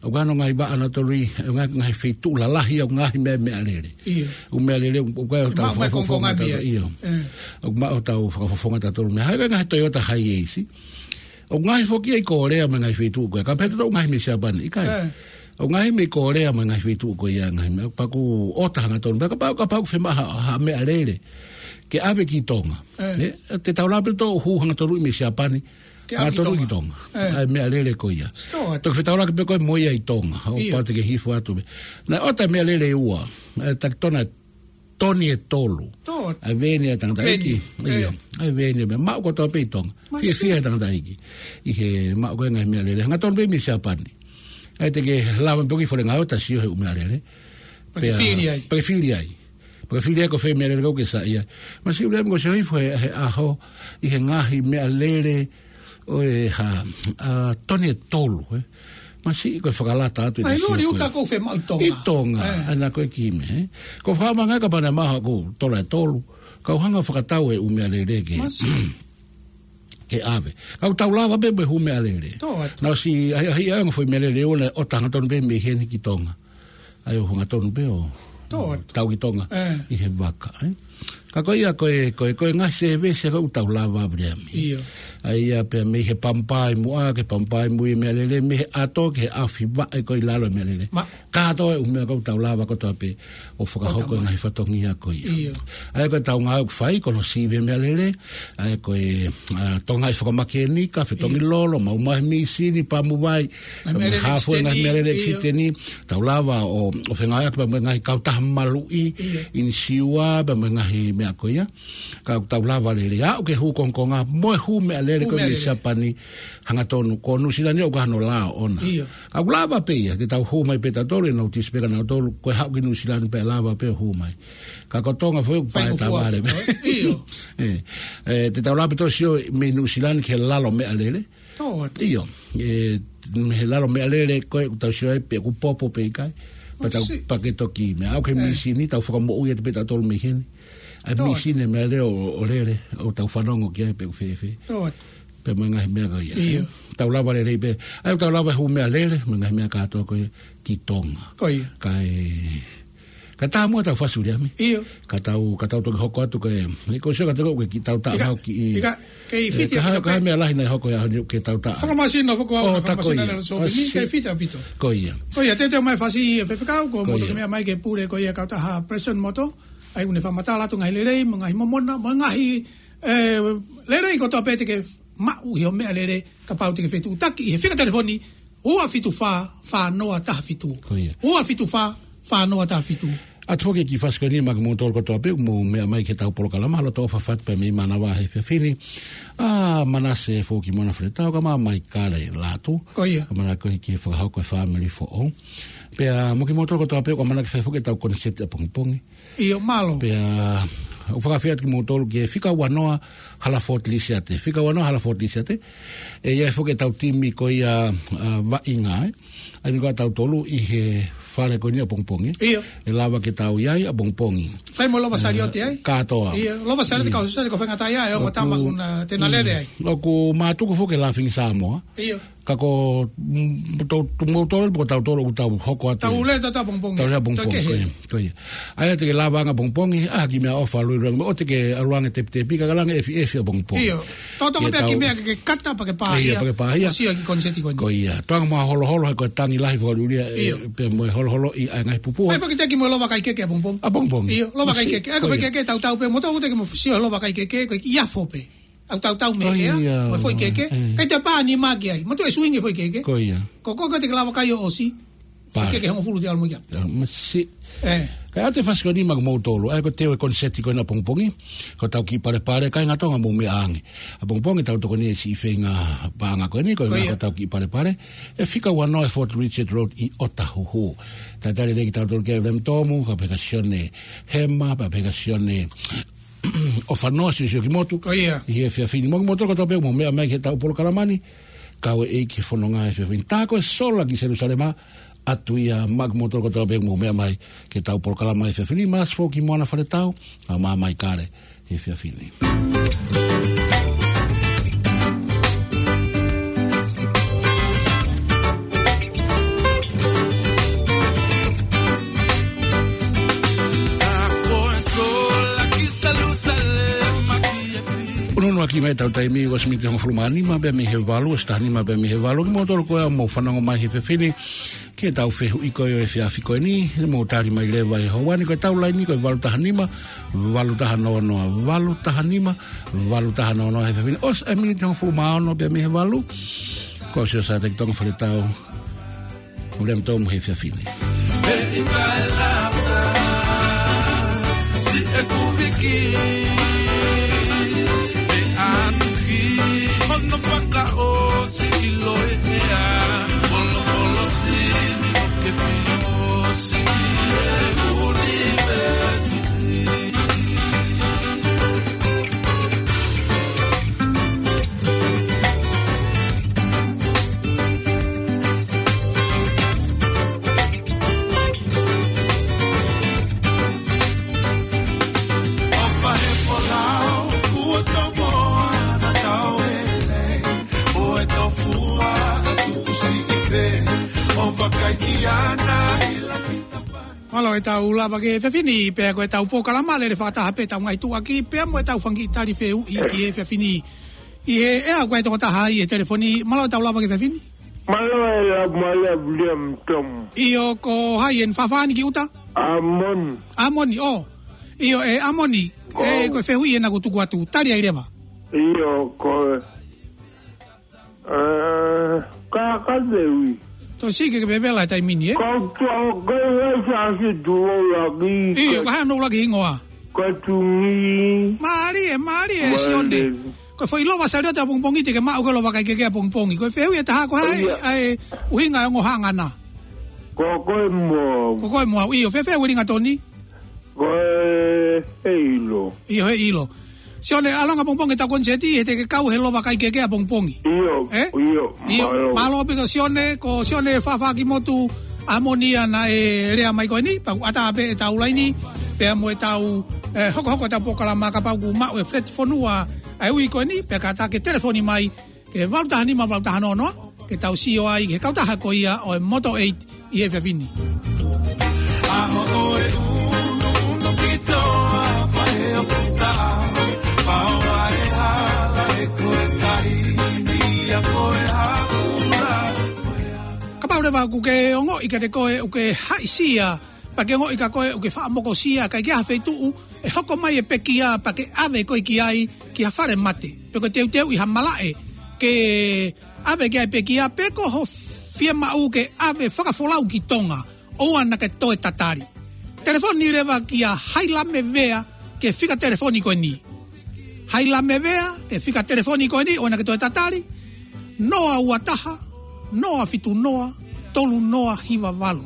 ʻOku ʻi ai hono ngaahi vaʻa ʻanautolu ʻi he ngaahi, ngaahi feituʻu lalahi ʻoku ngaahi meʻa, meʻalele. ʻOku meʻalele, ʻoku ʻi ai hotau fakafofonga tautolu. ʻOku maʻu hotau fakafofonga tautolu. Meʻa, ʻa ia ko e ngaahi Toyota Hiace. ʻOku ngaahi foki ia ʻi Kōlea mo e ngaahi feituʻu ko ē. Ka pehē ʻoku ngaahi mei Siapani, ʻikai. ʻOku ngaahi mei Kōlea mo e ngaahi feituʻu ko ia ngaahi meʻa. Pea ʻoku ʻota hangatonu. Pea kapau, kapau ʻoku fiemaʻu ha, ha meʻalele ke ʻave ki Tonga. Te tau lava pē ʻo hū hangatonu mei Siapani. Hangatonu ki Tonga. ʻA e meʻalele ko ia. Toki fetaulaki pē ko ē mo ia ʻi Tonga. ʻO pau te ke hifo atu pē. Naʻe ʻota e meʻalele ʻe ua. ʻA e taki tona toni ʻe tolu. ʻA e veeni ʻa e tangataʻeiki. ʻA e veeni ʻa e meʻa. Maʻu kotoa pē ʻi Tonga. Fiefia e tangataʻeiki ʻi he maʻu ko ē ngaahi meʻalele. Hangatonu pē mei Siapani. ʻA ia te ke lava pē ʻo ki fale ngāue ʻo ta sio he ʻū meʻalele. Pea ke fili ai. Pea ke fili ai. Pea ke fili ai ko fē meʻalele ʻoku ke saiʻia. Masiʻi ʻUliame ko e sio hifo he, he ʻaho ʻi he ngaahi meʻalele ʻo e hā, ʻa, toni ʻe tolu, ē. Masiʻi ko e fakalata atu ʻi he sio ko ē. ʻI Tonga. ʻA ia ko e kiʻi meʻa, ē. Ko e fakamanga ka pana maha ko e tola ʻe tolu. Kau hanga fakatau e ʻū meʻalele ke ke ʻave. Kau tau lava pē mo e hū meʻalele. Naʻe ʻosi ʻahiʻahiʻi ʻa e ngaahi foʻi meʻalele ʻe ua naʻe ʻota hangatonu pē mei heni ki Tonga. ʻA ia ʻo hangatonu pē ʻo tau ki Tonga ʻi he vaka, ē. Ka ko ia ko e, ko e, ko e ngaahi sēvesi ʻoku tau lava ʻa Viliami. ʻA ia pea mei he Pamuvai muʻa, ki he Pamuvai mui meʻalele, mei he ʻato ki he ʻaofi vaʻe ko ē ʻi lalo meʻalele. Kātoa e ʻū meʻa ʻoku tau lava kotoa pē ʻo fakahoko e ngaahi fatongia ko ia. ʻA ia ko e tau ngāue ʻoku fai, ko hono sivi e meʻalele, ʻa ia ko e, ʻa, tongaʻi fakamakēnika, fetongi lolo, maʻu mai he mīsini, Pamuvai, pea mo e hafo e ngaahi meʻalele ʻekisiteni, tau lava ʻo, ʻo fengāueʻaki pea mo e ngaahi kautaha maluʻi, ʻinisiua, pea mo e ngaahi meʻa ko ia. Ka ʻoku tau lava lelei, aʻu ki he hū kongokonga, mo e hū meʻalele ko ē mei Siapani, hangatonu, ko Nuʻusila ni ʻoku ʻi ai hono lao ʻona. Ka ʻoku lava pē ia, ke tau hū mai pē tautolu, ʻe nau tisi pē kia nautolu, ko e haʻu ki Nuʻusila ni pē lava pē ʻo hū mai. Ka ko Tonga foki ʻoku pae tavale pē. ʻE, ʻe, te tau lava pē ʻo sio mei Nuʻusila ni ki he lalo meʻalele. ʻIo, ʻe, mei he lalo meʻalele ko ē ʻoku tau sio ai pe ʻoku popo pe ʻikai. Pea tau pake toki meʻa. Aʻu ki he mīsini, tau fakamoʻui atu pē tautolu mei heni. ʻA e mīsini meʻalele ʻo, ʻo lele, ʻo tau fanongo ki ai pe ʻoku fēfē. Pea mo e ngaahi meʻa ko ia. Tau lava lelei pē. ʻA ia tau lava hū meʻalele, mo e ngaahi meʻa kātoa ko ia ki Tonga. Kae, ka tā muʻa tau fasi ʻUliame. Ka tau, ka tau toki hoko atu ko e, ʻe ko sio ka tau ko e ki tau tā mau ki ʻi. Kei fiti ka ha, ka ha meʻa lahi naʻe hoko ia ni ke tau tā. Fakamasino foki ʻa e fakamasino naʻe sō pē ni, kei fiti ʻaupito. Ko ia. Ko ia, teuteu mai fasi e faifekau, ko e motu ke meʻa mai ke pule ko ia kautaha Palesiteni Moto, ʻa ia ʻoku ne fakamatala atu ngaahi lelei, mo e ngaahi momona, mo e ngaahi, ʻe, lelei kotoa pē te ke maʻu ʻi hoʻo meʻalele kapau te ke fetuʻutaki ʻi he fika telefoni, ua fitu fā, fā noa taha fitu. Ua fitu fā, fā noa taha fitu. ʻOatu foki e kiʻi fasi ko eni maʻa kimoutolu kotoa pē ʻoku mou meʻa mai ki heʻetau polokalama, loto ʻofa atu pē mei Manavahē he efiafi ni. ʻA Manase Fokimona Faletau, kae ʻumaʻā Maikale Lātū. Ko ia. Kae ʻumaʻā ko e kiʻi fakahoko e fāmili foʻou. Pea mo kimoutolu kotoa pē ʻoku ʻamanaki fai foki ʻetau koniseti ʻapongipongi. ʻIo, mālō. Pea, ʻoku ou fakaafeʻi atu kimoutolu ki he fika ua noa Halaford Lisiate. Fika ua noa Halaford Lisiate. ʻE ʻi ai foki ʻetau timi ko ia, ʻa, vaʻinga, ē. ʻA ia ko tautolu ʻi he fale ko eni ʻapongipongi. ʻIo. ʻE lava ke tau ʻi ai ʻapongipongi. Fai mo e lova saliote ai. Kātoa. ʻIo, lova saliote. ʻIo. Kau sale ko fengata ia, ʻe ongo tama kuna te na lele ai. ʻOku mātuku foki e Laughing Samoa. ʻIo. Ka ko, mm, tau, tau, mo tau, ko tautolu ʻoku tau hoko atu. Tau lele ʻapongipongi. Tau lele ʻapongipongi. Tau kehe. Ko ia, ko ia. ʻA ia te ke lava ange ʻapongipongi, ʻa e kiʻi meʻaʻofa luluʻi, ʻoua te ke ʻalu ange tepitepi, ka ke ʻalu ange ʻefiʻefi ʻapongipongi. ʻIo. Tau toka pē ʻa e kiʻi meʻa ke ke kata pea ke pā ia. ʻIo, pea ke pā ia. ʻO sio ki he koniseti ko eni. Ko ia. Toʻa mo e holoholo, he ko e tangi lahi fakalūlia, ʻe, ʻio, pea mo e holoholo ʻi he ngaahi pupuha. Fai foki e teki mo e lova kaikekehe ʻapongipongi. ʻApongipongi. ʻIo, lova kaikekehe. ʻA ia ko e foʻi kekehe, tautau pē, mo tau te ke mo sio lova kaikekehe, ko e kiʻi afo pē. ʻOku tautau mei hea, ko ia, mo e foʻi kekehe. ʻIo. Kae toe pā nima ki ai. Mo toe suingi e foʻi kekehe. Ko ia. Ko, ko, ko e te ke lava kai ʻo ʻosi. Pā. Foʻi kekehe hongofulu te ʻalu mo ia. ʻIo, masi. ʻE. Kae ʻoatu e fasi ko eni maʻa kimoutolu. ʻA ia ko e teu e koniseti ko eni ʻapongipongi. Ko hotau kiʻi palepale, kāinga Tonga mou meʻa ange. ʻApongipongi tau tokoni he siʻi feinga paʻanga ko eni, ko e, ko ia, ko hotau kiʻi palepale. ʻE fika uanoa e Fort Richard Road ʻi ʻŌtāhuhu. Talitali lelei kitautolu kia William Tomu, kae pehē kia Sione Hema, kae pehē kia Sione ʻOfanoa, siosio ki motu. Ko ia. ʻI he efiafi ni. Mo kimoutolu kotoa pē ʻoku mou meʻa mai ki heʻetau polokalama ni, kau e ʻEiki he fononga he efiafi ni. Tā ko e sola ki Selusalema, ʻoatu ia maʻa kimoutolu kotoa pē ʻoku mou meʻa mai ki heʻetau polokalama he efiafi ni, Malasi Foki Moana Faletau, ʻa Māmā Kale he efiafi ni. Ununuaki mai ʻetau taimi, ua miniti hongofulu mā nima pē mei he valu, ʻosi taha nima pē mei he valu, kimoutolu ko ē ʻoku mou fanongo mai he efiafi ni ki heʻetau fehuʻi ko ē ʻo e efiafi ko eni, mou tali mai leva he houa ni, ko ʻetau laini ko e valu taha nima, valu taha noa noa, valu taha nima, valu taha noa noa he efiafi ni. ʻOsi e miniti hongofulu mā ono pē mei he valu, ko Siosiua Taki Tonga Faletau, William Tomu he efiafi ni. Pea ʻi ai e lata, siʻeku viki, ʻe ʻanuki hono fakaʻosi ʻiloʻi ʻe ia, polopolo sini ʻoku ke fili ʻosi e ʻunivēsiti. Mālō ʻetau lava ki he efiafi ni, pea ko ʻetau polokalama lele fakataha pē ʻetau ngaahi tuʻuaki, pea mo ʻetau fanga kiʻi tali fehuʻi ki he efiafi ni. ʻI he, ʻe ʻi ai e tokotaha ʻi he telefoni, mālō ʻetau lava ki he efiafi ni. Mālō e la, mālō William Tomu. ʻIo, ko hai eni, fāfā ni ki ʻuta? ʻAmoni. ʻAmoni, ʻō. ʻIo, ʻe ʻAmoni, ʻe, ʻō, ko e fehuʻi ena kuo tuku atu, tali ai leva. ʻIo, ko e, ʻe, ka, ka fehuʻi. Tau sio ki he vevela he taimi ni, ē? Ka tau, ka ʻi ai ha siʻi tuʻo laki. ʻIo, ka, ka hano laki hingoa. Ka tungi. Mālie, mālie, mālie. Sione. Ko e foʻi lova saliote ʻapongipongi te ke maʻu, ko e lova kaikekehe ʻapongipongi. Ko e fehuʻi ʻe taha, ko hai, ʻio, ʻa e ʻuhinga e ongo hangana? Ko, ko e moa. Ko, ko e moa, ʻio, fēfē e ringatoni? Ko e, he ʻilo. ʻIo, he ʻilo. Sione, ʻalu ange ʻapongipongi ʻetau koniseti, he te ke kau he lova kaikekehe ʻapongipongi. ʻIo, ʻe? ʻIo, mālō. ʻIo, mālō pē kia Sione, ko Sione Fafakimotu ʻAmoni ia naʻe lea mai ko eni, pea ʻoku ʻatā pē ʻetau laini, pea mo ʻetau, ʻe, hokohoko ʻetau polokalama kapau ʻoku maʻu e feleti fonua ʻa e ui ko eni, pea kātaki telefoni mai ki he valu taha nima valu taha noa noa, ke tau sio ai ki he kautaha ko ia ʻo e Moto Eight ʻi he efiafi ni. ʻAho ʻo e ʻunuʻunu ki toa, faʻē ʻo puta, pau ʻa e hala ʻe ko e taimi ia ko e haʻula. Kapau leva ʻoku ke ongoʻi kiate koe ʻoku ke haʻisia, pea ke ongoʻi kia koe ʻoku ke faʻa mokosia, kae ʻikai ke ʻi ai ha feituʻu ʻe hoko mai e pekia pea ke ʻave koe ki ai ki ha fale mate, pe ko e teuteuʻi ha malaʻe ke ʻave ki ai e pekia, pe ko ho fiemaʻu ke ʻave fakafolau ki Tonga, ʻoua naʻa ke toe tatali. Telefoni leva kia Hailame Vea ki he fika telefoni ko eni. Hailame Vea ki he fika telefoni ko eni, ʻoua naʻa ke toe tatali. Noa ua taha, noa fitu noa, tolu noa hiva valu.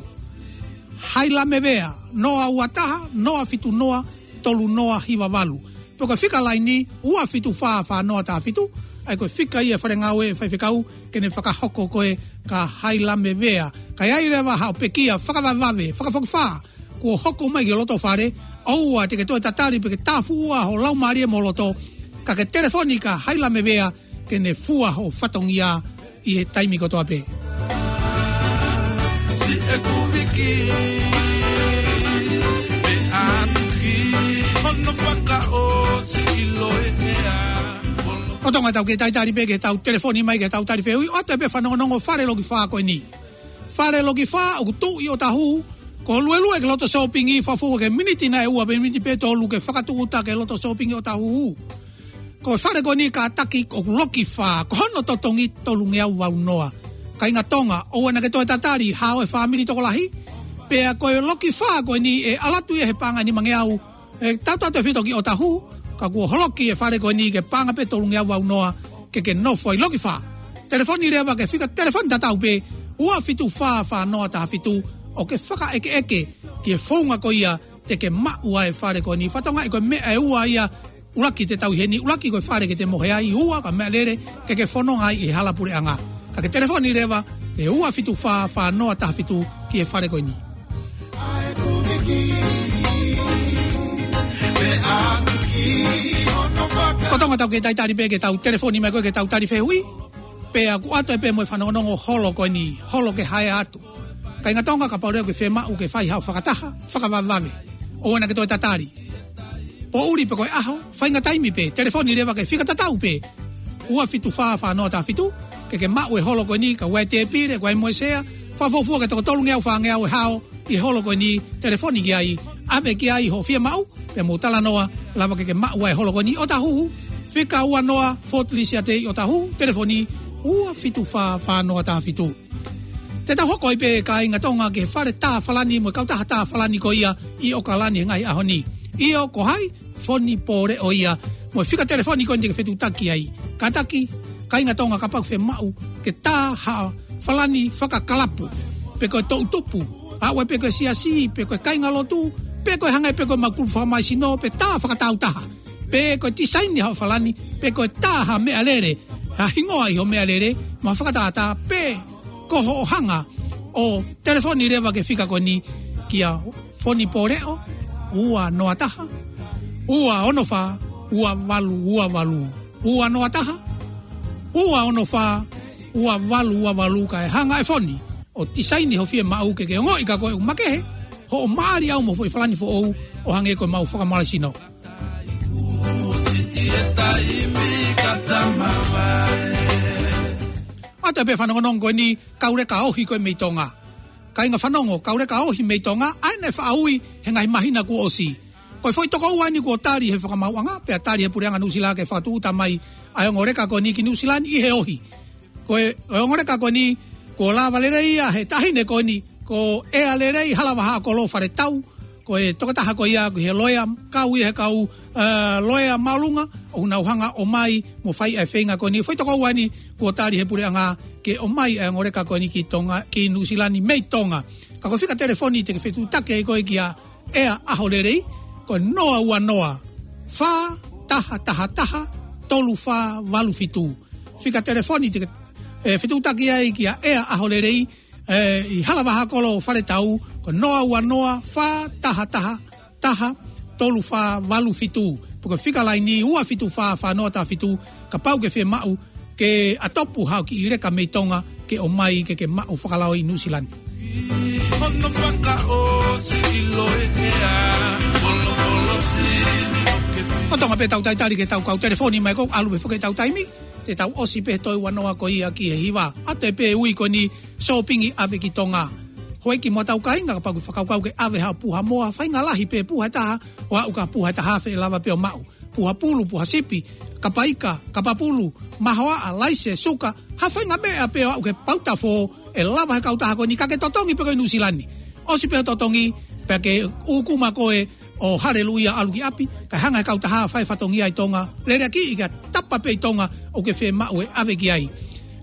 Hailame Vea, noa ua taha, noa fitu noa, tolu noa hiva valu. Pe ko e fika laini, ua fitu fā, fā noa taha fitu. ʻa ia ko e fika ia e fale ngāue ʻa e faifekau, ke ne fakahoko ko ē kia Hailame Vea. Ka ʻi ai leva haʻo pekia fakavavevave, fakafokifā, kuo hoko mai ki loto fale, ʻoua te ke toe tatali pe ke tāfuʻua ho laumālie mo loto, ka ke telefoni kia Hailame Vea, ke ne fua ho fatongia ʻi he taimi kotoa pē. Si e kuviki, me atuki, hono fakaʻosi ʻilo e mea. Lolotonga ʻetau kei talitali pē ke tau telefoni mai ke tau tali fehuʻi, ʻoatu pē fanongonongo fale loki fā ko eni. Fale loki fā ʻoku tuʻu ʻi ʻOtahu, ko e luelue ki loto sōpingi, fafua ke miniti nai ʻe ua pe miniti pē ʻe tolu ke fakatūʻuta ki loto sōpingi ʻOtahu. Ko e fale ko eni kātaki ʻoku loki fā, ko hono totongi tolungeau valu noa. Kāinga Tonga, ʻoua naʻá ke toe tatali, hao e fāmili tokolahi. Pea ko e loki fā ko eni ʻe ʻalu atu ia he paʻanga ʻe nimangeau, ʻe tautautefito ki ʻOtahu, ka kuo holoki e fale ko eni ke paʻanga pē tolungeau valu noa, ke ke nofo ai, loki fā. Telefoni leva ki he fika telefoni tatau pē, ua fitu fā fā noa taha fitu, ʻo ke fakaʻekeʻeke ki he founga ko ia te ke maʻu ai e fale ko eni. Fakatokangaʻi ko e meʻa ʻe ua ia, ʻuluaki te tau ʻi heni, ʻuluaki ko e fale ke te mohe ai, ua ko e meʻalele ke ke fononga ai ʻi he hala puleʻanga. Ka ke telefoni leva ki he ua fitu fā fā noa taha fitu ki he fale ko eni. Lolotonga ʻetau kei talitali pē ke tau telefoni mai ko ē ke tau tali fehuʻi. Pea ʻoku ʻoatu pē mo e fanongonongo holo ko eni, holo ke hae atu. Kāinga Tonga, kapau leva ʻoku ke fiemaʻu ke fai haʻo fakataha, fakavavevave, ʻoua naʻá ke toe tatali. Poʻuli pe ko e ʻaho, faʻahinga taimi pē, telefoni leva ki he fika tatau pē, ua fitu fā fā noa taha fitu, ke ke maʻu e holo ko eni, ka ʻoku ʻi ai e tēpile, ʻoku ʻi ai mo e sea, fakafuofua ki he toko tolungeau fāngeau e hao ʻi he holo ko eni, telefoni ki ai, ʻave ki ai hoʻo fiemaʻu, pea mou talanoa, lava ke ke maʻu ai e holo ko eni. ʻOtahu, fika ua noa, Fort Lisiate ʻi ʻOtahu, telefoni ua fitu fā fā noa taha fitu. Te tau hoko ai pē kāinga Tonga ki he fale tā Falani mo e kautaha tā Falani ko ia ʻi ʻAokalani he ngaahi ʻaho ni. ʻIo, ko hai? Foni Pōleʻo ia. Mo e fika telefoni ko eni te ke fetuʻutaki ai. Kātaki, kāinga Tonga, kapau ʻoku ke fiemaʻu ke tā ha Falani fakakalapu, pe ko e toʻutupu, ʻa ia pe ko e siasi, pe ko e kāingalotu, pe ko e hangē pe ko e mau kulupu fakamālohisino, pe tā fakatāutaha, pe ko e tisaini ha Falani, pe ko e tā ha meʻalele, ha hingoa ʻi hoʻo meʻalele, mo ha fakatātā, pe ko hoʻo hanga ʻo telefoni leva ki he fika ko eni kia Foni Pōleʻo, ua noa taha, ua ono fā, ua valu ua valu, ua noa taha, ua ono fā, ua valu ua valu, kae hanga ʻe Foni ʻo tisaini hoʻo fiemaʻu ke ke ongoʻi ka ko e makehe hoʻo maʻali ʻau mo e foʻi Falani foʻou ʻo hangē ko e mau fakamālohisino. ʻOatu pē fanongonongo ko eni, kau leka ohi ko ē mei Tonga. Kāinga fanongo, kau leka ohi mei Tonga, ʻa ia naʻe faʻa ui he ngaahi māhina kuo ʻosi. Ko e foʻi tokoua eni kuo tali he fakamaauʻanga, pea tali he puleʻanga Nuʻusila ke fakatūʻuta mai ʻa e ongo leka ko eni ki Nuʻusila ni ʻi he ohi. Ko e, ko e ongo leka ko eni, kuo lava lelei ia he taʻahine ko eni, ko ʻEa Lelei Halavahakolo Faletau, ko e tokotaha ko ia, ko e loea, kau ia he kau, ē, loea māʻolunga, ʻoku nau hanga ʻo ʻomai mo fai ʻa e feinga ko eni. Foʻi tokoua eni kuo tali he puleʻanga ke ʻomai ʻa e ongo leka ko eni ki Tonga, ki Nuʻusila ni mei Tonga. Ka ko e fika telefoni te ke fetuʻutaki ai koe kia ʻEa ʻAholelei, ko e noa ua noa, fā taha taha taha, tolu fā valu fitu. Fika telefoni te ke, ē, fetuʻutaki ai kia ʻEa ʻAholelei, ē, ʻi Halavahakolo Faletau, ko e noa ua noa, fā taha taha taha, tolu fā valu fitu. Pe ko e fika laini ua fitu fā fā noa taha fitu, kapau ʻoku ke fiemaʻu ke ʻatopu haʻo kiʻi leka mei Tonga ke ʻomai ke ke maʻu fakalao ʻi Nuʻusila ni. Hono fakaʻosi ʻilo e ʻea, polopolo sini ʻo ke fi- Lolotonga pē ʻetau talitali ki heʻetau kau telefoni mai, ko e ʻalu pē foki ʻetau taimi, te tau ʻosi pē he toe ua noa ko ia ki he hiva. ʻOatu pē ui ko eni, sōpingi ʻave ki Tonga. Houʻeiki mo hotau kāinga, kapau ʻoku ke fakakaukau ke ʻave haʻo puha moa, faʻahinga lahi pē puha ʻe taha, ʻo aʻu ki ha puha ʻe taha afe ʻe lava pē ʻo maʻu. Puha pulu, puha sipi, kapa ika, kapa pulu, mahoaʻa, laise, suka, ha faʻahinga meʻa pē ʻo aʻu ki he pauta fō, ʻe lava he kautaha ko eni, ka ke totongi pē koe ʻi Nuʻusila ni. ʻOsi pē hoʻo totongi, pea ke ʻūkuma koe ʻo haleluia ʻalu ki ʻapi, kae hanga he kautaha ʻo fai fatongia ʻi Tonga, lele ki he tapa pē ʻi Tonga ʻoku ke fiemaʻu ʻe ʻave ki ai.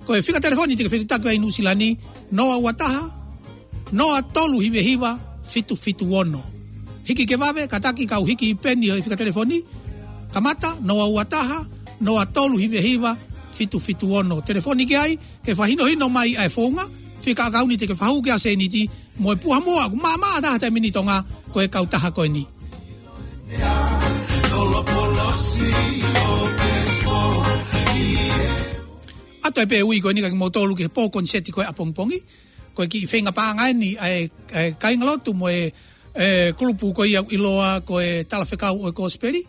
Ko e fika telefoni te ke fetuʻutaki ai ʻi Nuʻusila ni, noa ua taha, noa tolu hiva hiva, fitu fitu ono. Hiki ke vave, kātaki kau hiki peni ʻo e fika telefoni. Kamata, noa ua taha, noa tolu hiva hiva, fitu fitu ono. Telefoni ki ai, ke fakahinohino mai ʻa e founga, fika ʻakauni te ke fakahū ki ai ʻa e sēniti, mo e puha moa, ʻoku maʻamaʻa taha taimi ni ʻi Tonga, ko e kautaha ko eni. ʻOatu ai pē ui ko eni kia kimoutolu ki he pō koniseti ko ē ʻapongipongi, ko e kiʻi feinga paʻanga eni ʻa e, ʻa e kāingalotu mo e, e kulupu ko ia ʻoku ʻiloa ko e Talafekau ʻo e Kosipeli.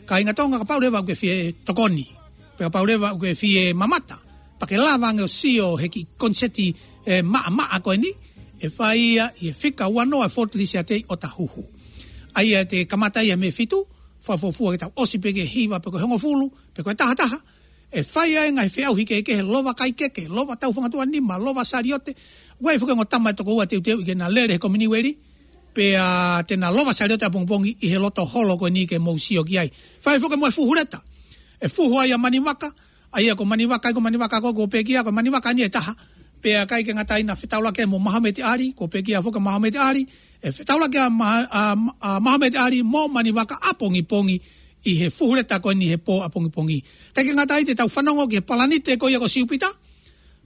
Kāinga Tonga, kapau leva ʻoku ke fie tokoni, pe kapau leva ʻoku ke fie mamata, pea ke lava ange ʻo sio he kiʻi koniseti, e, maʻamaʻa ko eni, ʻe fai ia ʻi he fika ua noa Fort Lisiate ʻi ʻOtahuhu. ʻA ia te kamata ia mei he fitu, fakafuofua ke tau ʻosi pē ki he hiva pe ko e hongofulu, pe ko e tahataha, ʻe fai ai e ngaahi feʻauhi kehekehe, lova kai keke, lova tau fanga tuʻa nima, lova saliote. ʻOku ʻi ai foki e ongo tama ʻe toko ua teuteuʻi ke na lele he Kominiueli, pea te na lova saliote ʻapongipongi ʻi he loto holo ko eni ke mou sio ki ai. Fai foki mo e fuhu leta. ʻE fuhu ai ʻa Manivaka, ʻa ia ko Manivaka, ʻa ia ko Manivaka ko, ko e pekia, ko Manivaka ni ʻe taha. Pea ʻikai ke ngata ai, na fetaulaki mo Mahameti Ali, ko e pekia foki ʻa Mahameti Ali, ʻe fetaulaki ʻa Ma-, ʻa, ʻa Mahameti Ali mo Manivaka ʻapongipongi ʻi he fuhu leta ko eni he pō ʻapongipongi. ʻIkai ke ngata ai, te tau fanongo ki he palanite ko ia ko Siupita.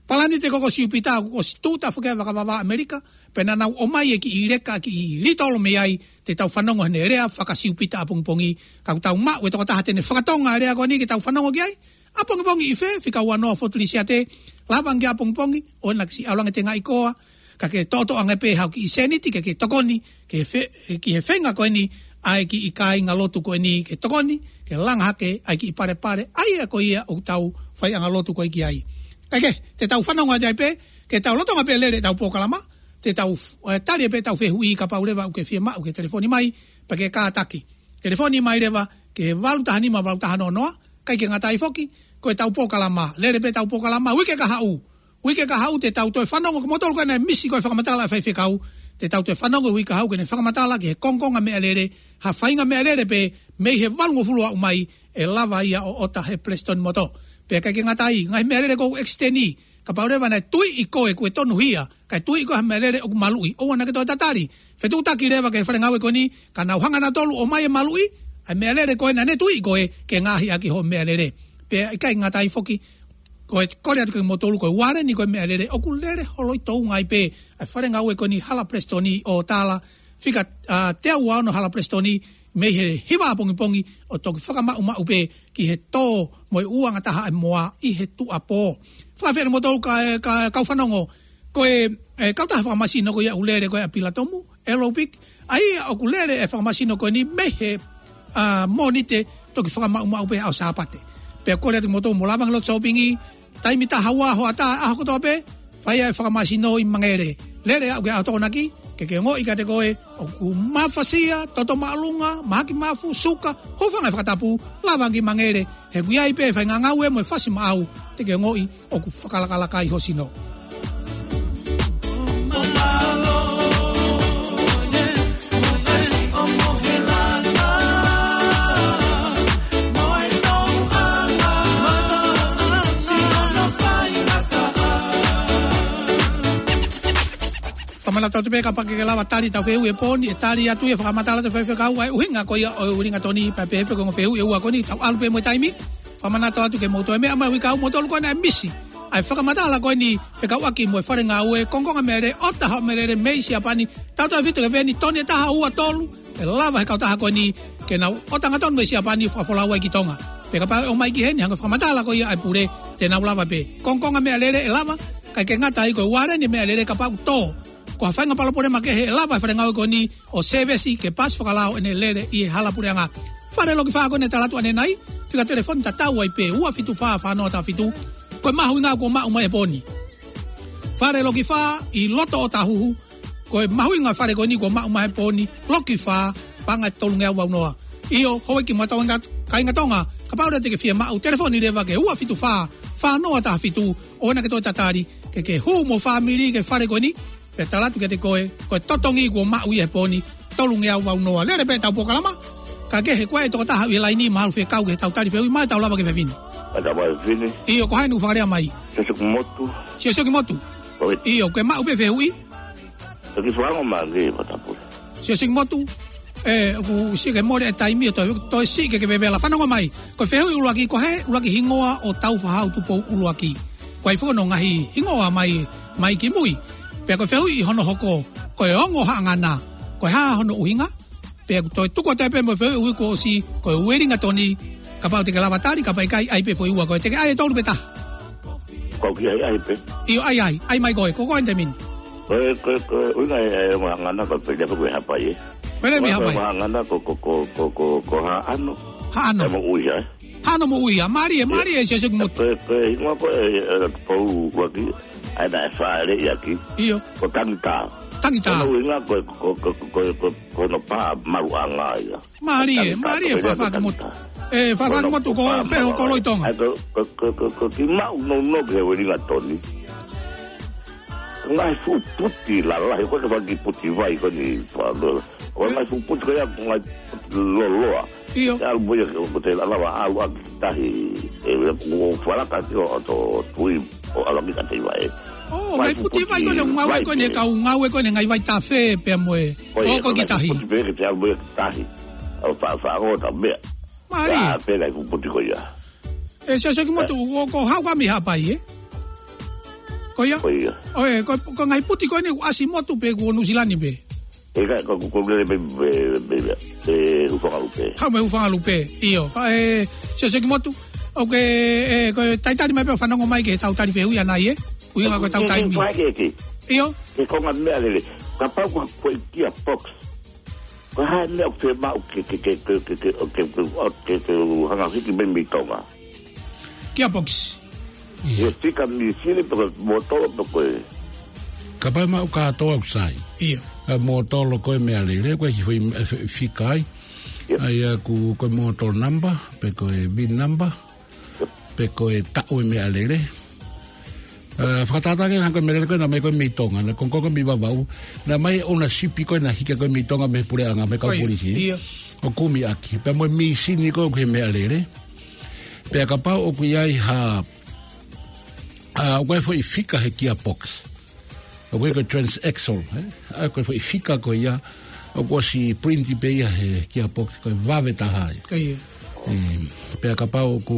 Palanite ko, ko Siupita, ʻoku ʻosi tūʻuta foki ʻa e vakavavā ʻAmelika, pea naʻa nau ʻomai e kiʻi leka, kiʻi litolo mei ai, te tau fanongo heʻene lea faka-Siupita ʻapongipongi, ka ʻoku tau maʻu e tokotaha te ne fakatonga e lea ko eni ke tau fanongo ki ai. ʻApongipongi ʻi fē, fika ua noa Fort Lisiate, lava ange ʻapongipongi, ʻoua naʻa ke siʻi ʻalu ange ʻo tengaʻi koa, ka ke toʻotoʻo ange pē haʻo kiʻi sēniti ke ke tokoni ki he fe-, ki he feinga ko eni ʻa e kiʻi kāingalotu ko eni, ke tokoni ke langa hake ʻa e kiʻi palepale ʻa ia ko ia ʻoku tau faiʻanga lotu ko ē ki ai. Kae kehe, te tau fanongo atu ai pē, ke tau lolotonga pē lele ʻetau polokalama, te tau, e, tali pē ʻetau fehuʻi, kapau leva ʻoku ke fie maʻu ke telefoni mai, pea ke kātaki. Telefoni mai leva ki he valu taha nima valu taha noa noa, ʻikai ke ngata ai foki, ko ʻetau polokalama, lele pē ʻetau polokalama, uike kahaʻu. Uike kahaʻu te tau toe fanongo, kimoutolu ko ē naʻe misi ko e fakamatala ʻa e faifekau, te tau toe fanongo uike kahaʻu ke ne fakamatala ki he kongokonga meʻalele, ha faʻahinga meʻalele pē mei he valungofulu aʻu mai, ʻe lava ia ʻo ʻota he Palesitone Motor. Pea ʻikai ke ngata ai, ngaahi meʻalele ʻoku ʻekisiteni, kapau leva naʻe tuiʻi koe kuo tonuhia, kae tuiʻi koe ha meʻalele ʻoku maluʻi, ʻoua naʻa ke toe tatali. Fetuʻutaki leva ki he faʻahinga ngāue ko eni, ka nau hanga nautolu ʻo ʻomai e maluʻi ʻa e meʻalele ko ē naʻa ne tuiʻi koe ke ngaahi ʻaki hoʻo meʻalele. Pea ʻikai ngata ai foki, ko e kole atu kia kimoutolu, ko e ualeni ko e meʻalele ʻoku lele holo ʻi Tonga ai pē ʻa e faʻahinga ngāue ko eni Hala Palesitone ʻo Tala, fika, a, teau ua ono Hala Palesitone, mei he hiva ʻapongipongi ʻo toki fakamaʻumaʻu pē ki he tō mo e uanga taha ʻa e moa ʻi he tuʻuapō. Fakafeʻiloaki moutolu ka, ka, kau fanongo, ko e, e, kautaha fakamasino ko ia ʻoku lele ko ē ʻa Pilatomu, Aerobic, ʻa ia ʻoku lele e fakamasino ko eni mei he, a, Mōnite toki fakamaʻumaʻu pē ʻaho Sāpate. Pea kole atu moutolu mou lava ange ʻo lotu sōpingi, taimi taha ua hoʻatā ʻaho kotoa pē, fai ai e fakamasino ʻi Mangere. Lele aʻu ki he ʻaho Tokonaki, ke ke ongoʻi kiate koe ʻoku mafasia, toto māʻolunga, mahaki mafu, suka, hūfanga he fakatapu, lava ange ki Mangere, he ʻoku ʻi ai pē e faʻahinga ngāue mo e fasi maʻau, te ke ongoʻi ʻoku fakalakalaka ai ho sino. Fakamanatu atu pē kapau ʻoku ke lava tali ʻetau fehuʻi he pō ni, ʻe tali atu ia, fakamatala atu e faifekau ʻa e ʻuhinga ko ia ʻo e ringatoni, pea pehē pē ki he ongo fehuʻi ʻe ua ko eni, tau ʻalu pē mo e taimi. Fakamanatu atu ke mou toe meʻa mai uike kahaʻu, moutolu ko ē naʻe misi ʻa e fakamatala ko eni fekauʻaki mo e faʻahinga ngāue, kongokonga meʻalele, ʻota haʻo meʻalele mei Siapani, tautautefito ki he veni toni ʻe taha ua tolu, ʻe lava he kautaha ko eni ke nau ʻota hangatonu mei Siapani fakafolau ai ki Tonga. Pea kapau ʻe ʻomai ki heni, hangē ko e fakamatala ko ia ʻa e pule, te nau lava pē. Kongokonga meʻalele ʻe lava, ʻikai ke ngata ai, ko e ualeni meʻalele kapau ʻoku tō, ko ha faʻahinga palopalema kehe, ʻe lava e faʻahinga ngāue ko eni ʻo sēvesi ke paasi fakalao ʻene lele ʻi he hala puleʻanga. Fale Loki Fā ko eni ʻe tala atu ʻanenai, fika telefoni tatau ai pē, ua fitu fā fā noa taha fitu, ko e mahuʻinga kuo maʻu mai he pō ni. Fale Loki Fā ʻi loto ʻOtahuhu, ko e mahuʻinga e fale ko eni kuo maʻu mai he pō ni, Loki Fā, paʻanga ʻe tolungeau valu noa. ʻIo, houʻeiki mo e kāinga, kāinga Tonga, kapau leva te ke fie maʻu, telefoni leva ki he ua fitu fā fā noa taha fitu, ʻoua naʻa ke toe tatali, ke ke hū mo e fāmili ki he fale ko eni, pea tala atu kiate koe, ko e totongi kuo maʻu ia he pō ni, tolungeau valu noa. Lele pē ʻetau polokalama, kae kehe, ko e tokotaha ʻi he laini, mahalo fekau ke tau tali fehuʻi mai, tau lava ki he fefine. Ka tau mai fefine. ʻIo, ko hai ʻoku fakalea mai? Siosiokimotu. Siosiokimotu. ʻIo, ke maʻu pē fehuʻi. Toki fanongo mai ange, Matapule. Siosiokimotu. ʻE, ʻoku siʻi ke mole e taimi ʻo toe, toe siʻi ke ke vevela. Fanongo mai. Ko e fehuʻi ʻuluaki, ko e hā e ʻuluaki hingoa ʻo Tāufaʻāhau Tupou ʻUluaki? Ko e hā foki hono ngaahi hingoa mai, mai ki mui? Pea ko e fehuʻi hono hoko, ko e ongo haʻangana, ko e hā hono ʻuhinga? Pea ʻoku toe tuku atu pē mo e fehuʻi ʻuluaki kuo ʻosi, ko e Uelingatoni, kapau te ke lava tali, kapau ʻikai, ʻai pē foʻi ua ko ē. Te ke ʻai e tolu pe taha? Ko au ki ai, ʻai pē. ʻIo, ʻai, ʻai, ʻai mai koe, ko koe Temini. Ko e, ko e, ko e, ʻuhinga e, e, ongo haʻangana ko e pele ko e hapai ē. Pele mi hapai. Ko e ongo haʻangana ko, ko, ko, ko, ko, ko Haʻano. Haʻano. Pea mo Uia, ē. Haʻano mo Uia, mālie, mālie, Siosiokimotu. Ko e, ko e hingoa ko e, e, Tupou ʻUluaki, ʻa ia naʻe fāʻeleʻi ʻaki. ʻIo. Ko Tangitā. Tangitā. Ko hono ʻuhinga ko e, ko, ko, ko, ko, ko, ko hono pā maluʻanga ia. Mālie, Tangitā, mālie, ko e Faʻa-, Faʻakimutu. Tangitā. ʻE, Faʻa-, Faʻakimutu, ko e feho ko loi Tonga. ʻA ia ko, ko, ko, ko, ko e kiʻi maʻu nounou ki he Uelingatoni. Ngaahi fuʻu puti lalahi, ko e kiʻi puti vai ko eni, Faʻa-, ko e ngaahi fuʻu puti ko ia, ko e ngaahi puti loloa. ʻIo. Te ʻalu mo ia ke, ko te lava ʻalu ʻaki tahi, ʻe, ʻo falaka ki ʻo, ʻo tui, ʻo ʻalu ʻaki ka te vai. ʻŌ, ngaahi puti vai ko eni, ngāue ko eni, kau ngāue ko eni, ngaahi vai tafe pea mo e. Ko ia, ʻo ko e ngaahi tahi. Puti pē ke te ʻalu mo ia ki tahi. ʻO fa-, fa-, ʻo ta mea. Mālie. Pea pē ngaahi fuʻu puti ko ia. ʻE, Siosiokimotu, ʻo ko haʻu ʻa mi hapai, ē? Ko ia? Ko ia. ʻOe, ko, ko e ngaahi puti ko eni ʻoku ʻasi motu pē, ko Nuʻu Sila ni pē. ʻE ka, ko, ko, ko, pē, pē, pē, pē, pē, hūfanga lupe. Haʻu mei hūfanga lupe. ʻIo, Faʻa-, ʻe, Siosiokimotu. ʻOku ke, ʻe, ko e talitali mai pē ʻo fanongo mai ki heʻetau tali fehuʻi ʻanai, ē? ʻUhinga ko ʻetau taimi. Ke, ke, ke. ʻIo. Ke konga meʻalele. Kapau ko, ko e gearbox. Ko e hā e meʻa ʻoku fiemaʻu ke, ke, ke hanga hiki mai mei Tonga? Gearbox. ʻIo. ʻIo, fika mīsini pe ko e mōtolo pe ko e. Kapau maʻu kātoa ʻoku sai. ʻIo. ʻA e mōtolo ko e meʻalele, ko e kiʻi foʻi, ʻe, fi-, fika ai. ʻIo. ʻA ia ko, ko e mōtolo number, pe ko e vin number. Pe ko e taʻu e meʻalele. ʻE, fakatātā ke hanga ko e meʻalele ko ē naʻe mai ko ē mei Tonga, naʻe kongokonga mei Vavaʻu, naʻe mai ʻouna sipi ko ē naʻe hiki ko ē mei Tonga mei he puleʻanga, mei he kau polisi. ʻIo. ʻO kumi ʻaki. Pea mo e mīsini ko ē ʻoku ʻi he meʻalele. Pea kapau ʻoku ʻi ai ha, ʻa, ʻoku ʻi ai foʻi fika he gearbox. ʻOku ʻi ai ko e transaxle, ē? ʻA, ko e foʻi fika ko ia, ʻoku ʻosi print pē ia he gearbox, ko e vave taha ia. Ko ia. ʻE, pea kapau ʻoku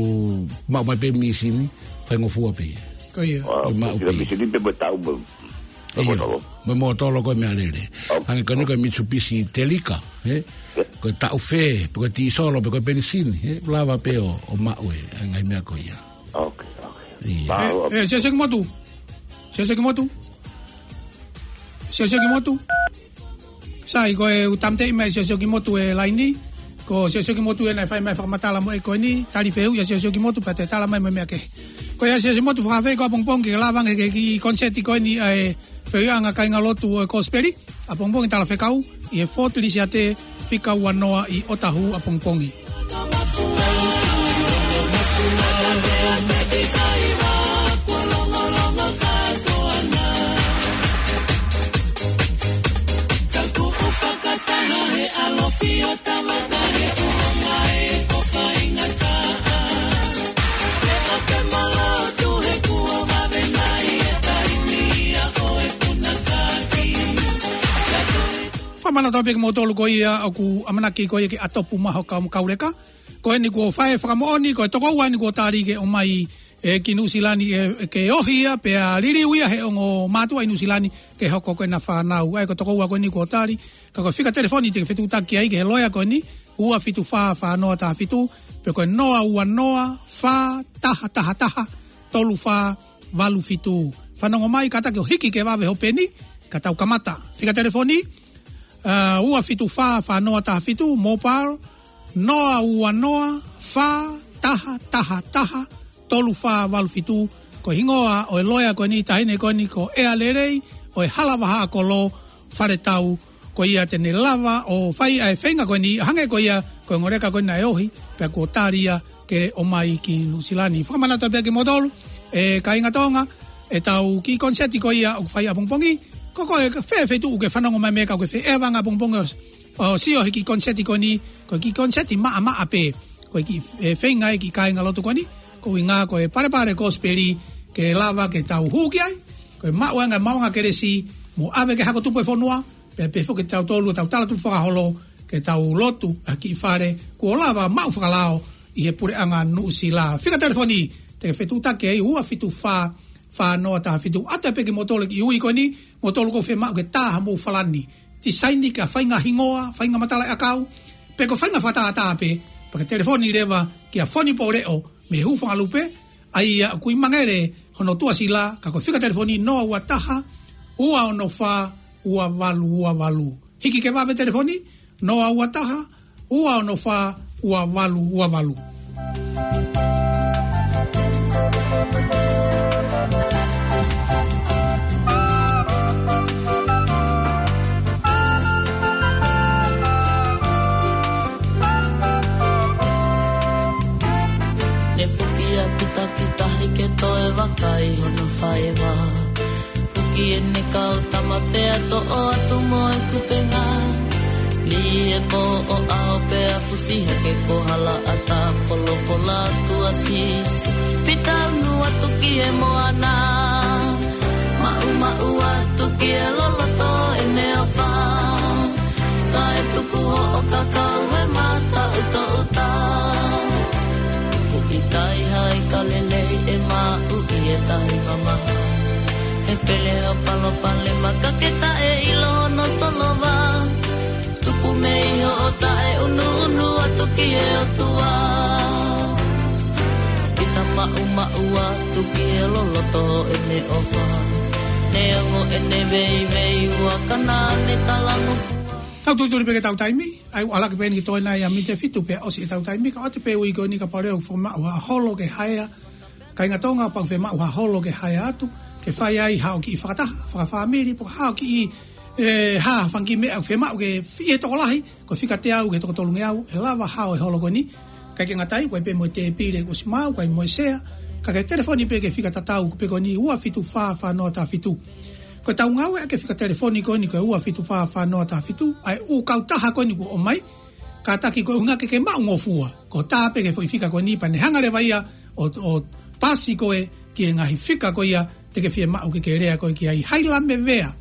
maʻu mai pē mīsini, ko e ngofua pē ia. Ko ia. Ko e maʻu pē ia. Mīsini pē mo e taʻu mo, mo e mōtolo. Mo e mōtolo ko e meʻalele. Hangē ko eni ko e Mitsubishi Delica, ē? Ko e taʻu fē, pe ko e tīsolo, pe ko e penisini, ē? Lava pē ʻo, ʻo maʻu ē, ʻa e ngaahi meʻa ko ia. Ok, ok. ʻE, Siosiokimotu. Siosiokimotu. Siosiokimotu. Sai, ko e ʻū tāmateʻi mai Siosiokimotu e laini. Ko Siosiokimotu ē naʻe fai mai fakamatala mo e ko eni, tali fehuʻi ʻa Siosiokimotu pea te tala mai mo e meʻa kehe. Ko ia Siosiokimotu, fakaafeʻi koe ʻapongipongi ke lava ange ki he kiʻi konisēti ko eni ʻa e fehuʻiʻanga kāingalotu ʻo e Kosipeli. ʻApongipongi Talafekau, ʻi he Fort Lisiate, fika ua noa ʻi ʻOtahu ʻapongipongi. Fakamanatu pē kimoutolu ko ia ʻoku ʻamanaki ko ia ke ʻatopu mai ho kau, kau leka. Ko eni kuo fai e fakamoʻoni, ko e tokoua eni kuo tali ke ō mai, ē, ki Nuʻu Sila ni, ē, ke ohi ia, pea liliu ia he ongo mātuʻa ʻi Nuʻu Sila ni, ke hoko ko ʻena fānau. ʻA ia ko e tokoua ko eni kuo tali, ka ko e fika telefoni te ke fetuʻutaki ai ki he loea ko eni, ua fitu fā, fā noa taha fitu, pe ko e noa ua noa, fā taha taha taha, tolu fā valu fitu. Fanongo mai, kātaki ʻo hiki ke vave ho peni, ka tau kamata. Fika telefoni, ā, ua fitu fā, fā noa taha fitu, mobile, noa ua noa, fā taha taha taha, tolu fā valu fitu, ko e hingoa ʻo e loea ko eni, taʻahine ko eni ko ʻEa Lelei, ʻo e Hala Vahaʻa Kolo, Faletau, ko ia te ne lava ʻo fai ʻa e feinga ko eni, hangē ko ia, ko e ongo leka ko eni naʻe ohi, pea kuo tali ia ke ō mai ki Nuʻu Sila ni. Fakamanatu pē kimoutolu, ē kāinga Tonga, ʻetau kiʻi konisēti ko ia ʻoku fai ʻapongipongi, ko koe ʻoku ke fē feituʻu ke fanongo mai mei ai ka ʻoku ke fē, ʻeva anga ʻapongipongi ʻo, ʻo sio he kiʻi konisēti ko eni, ko e kiʻi konisēti maʻamaʻa pē, ko e kiʻi, ē, feinga ʻa e kiʻi kāingalotu ko eni, ko e ʻuhinga ko e palepale Kosipeli ke lava ke tau hū ki ai, ko e maʻu ange maʻuʻanga kelesi, mo ʻave ki he hako tupu ʻo e fonua, pea pehē foki kitautolu ʻetau tala tupu fakaholo, ke tau lotu ʻa e kiʻi fale kuo lava maʻu fakalao ʻi he puleʻanga Nuʻusila. Fika telefoni, te ke fetuʻutaki ai ua fitu fā, fā noa taha fitu. ʻAtu pē kimoutolu ki ui ko eni, moutolu ʻoku fiemaʻu ke tā hamou falani. Tisaini ki ha faʻahinga hingoa, faʻahinga matalaʻiʻakau, pe ko e faʻahinga fakatātā pē, pea ke telefoni leva kia Foni Poleʻo mei Hūfangalupe, ʻa ia ʻoku ʻi Mangele hono tuʻasila, ka ko e fika telefoni noa ua taha, ua ono fā, ua valu ua valu. Hiki ke vave telefoni, noa ua taha, ua ono fā, ua valu ua valu. Ne fuki ʻa Pita ki tahi ke toe vakai hono faiva. Huki ʻene kau tama pea toʻo atu mo e kupenga. Lī e pō ʻo ʻao pea fusi hake ko hala ʻata folofola atu ʻa Sīsū. Pita unu atu ki he moana. Maʻumaʻu atu ki he loloto ʻene ʻofa. Kae tuku hoʻo kakau he mata ʻutoʻuta. Kupu ʻi Taihai ka lelei ʻe maʻu ʻi he tahi mamaha. He pele hoʻo palopalema ka ke taʻeʻilo hono solova. Tupu mei hoʻo taʻeunuunu atu ki he ʻOtua. Pita maʻumaʻu atu ki he loloto ʻene ʻofa. Neongo ʻene veiveiua ka naʻa ne talangofua. Tau tulituli pē ke tau taimi, ʻai ua laki pē eni ki toe nai ʻa mite fitu pea ʻosi ʻetau taimi, ka ʻoatu pē ui ko eni kapau leva ʻoku fiemaʻu ha holo ke haea, kāinga Tonga, kapau ʻoku fiemaʻu ha holo ke haea atu, ke fai ai haʻo kiʻi fakataha, fakafāmili, pe ko haʻo kiʻi, ē, ha fanga kiʻi meʻa ʻoku fiemaʻu ke fai ʻe he tokolahi, ko e fika teau ki he toko tolungeau, ʻe lava hao e holo ko eni, ʻikai ke ngata ai, ʻoku ʻi ai pē mo e tēpile kuo ʻosi maʻu, ʻoku ʻi ai mo e sea, ka ke telefoni pē ki he fika tatau, pē ko eni ua fitu fā fā noa taha fitu. Ko ʻetau ngāueʻaki e fika telefoni ko eni ko e ua fitu fā fā noa taha fitu, ʻa e ʻū kautaha ko eni kuo ʻomai, kātaki ko e ʻuhinga ke ke maʻungofua, ko e tā pē ki he foʻi fika ko eni pea ne hanga leva ia ʻo, ʻo paasi koe ki he ngaahi fika ko ia te ke fiemaʻu ke ke lea koe ki ai. Hailamevea,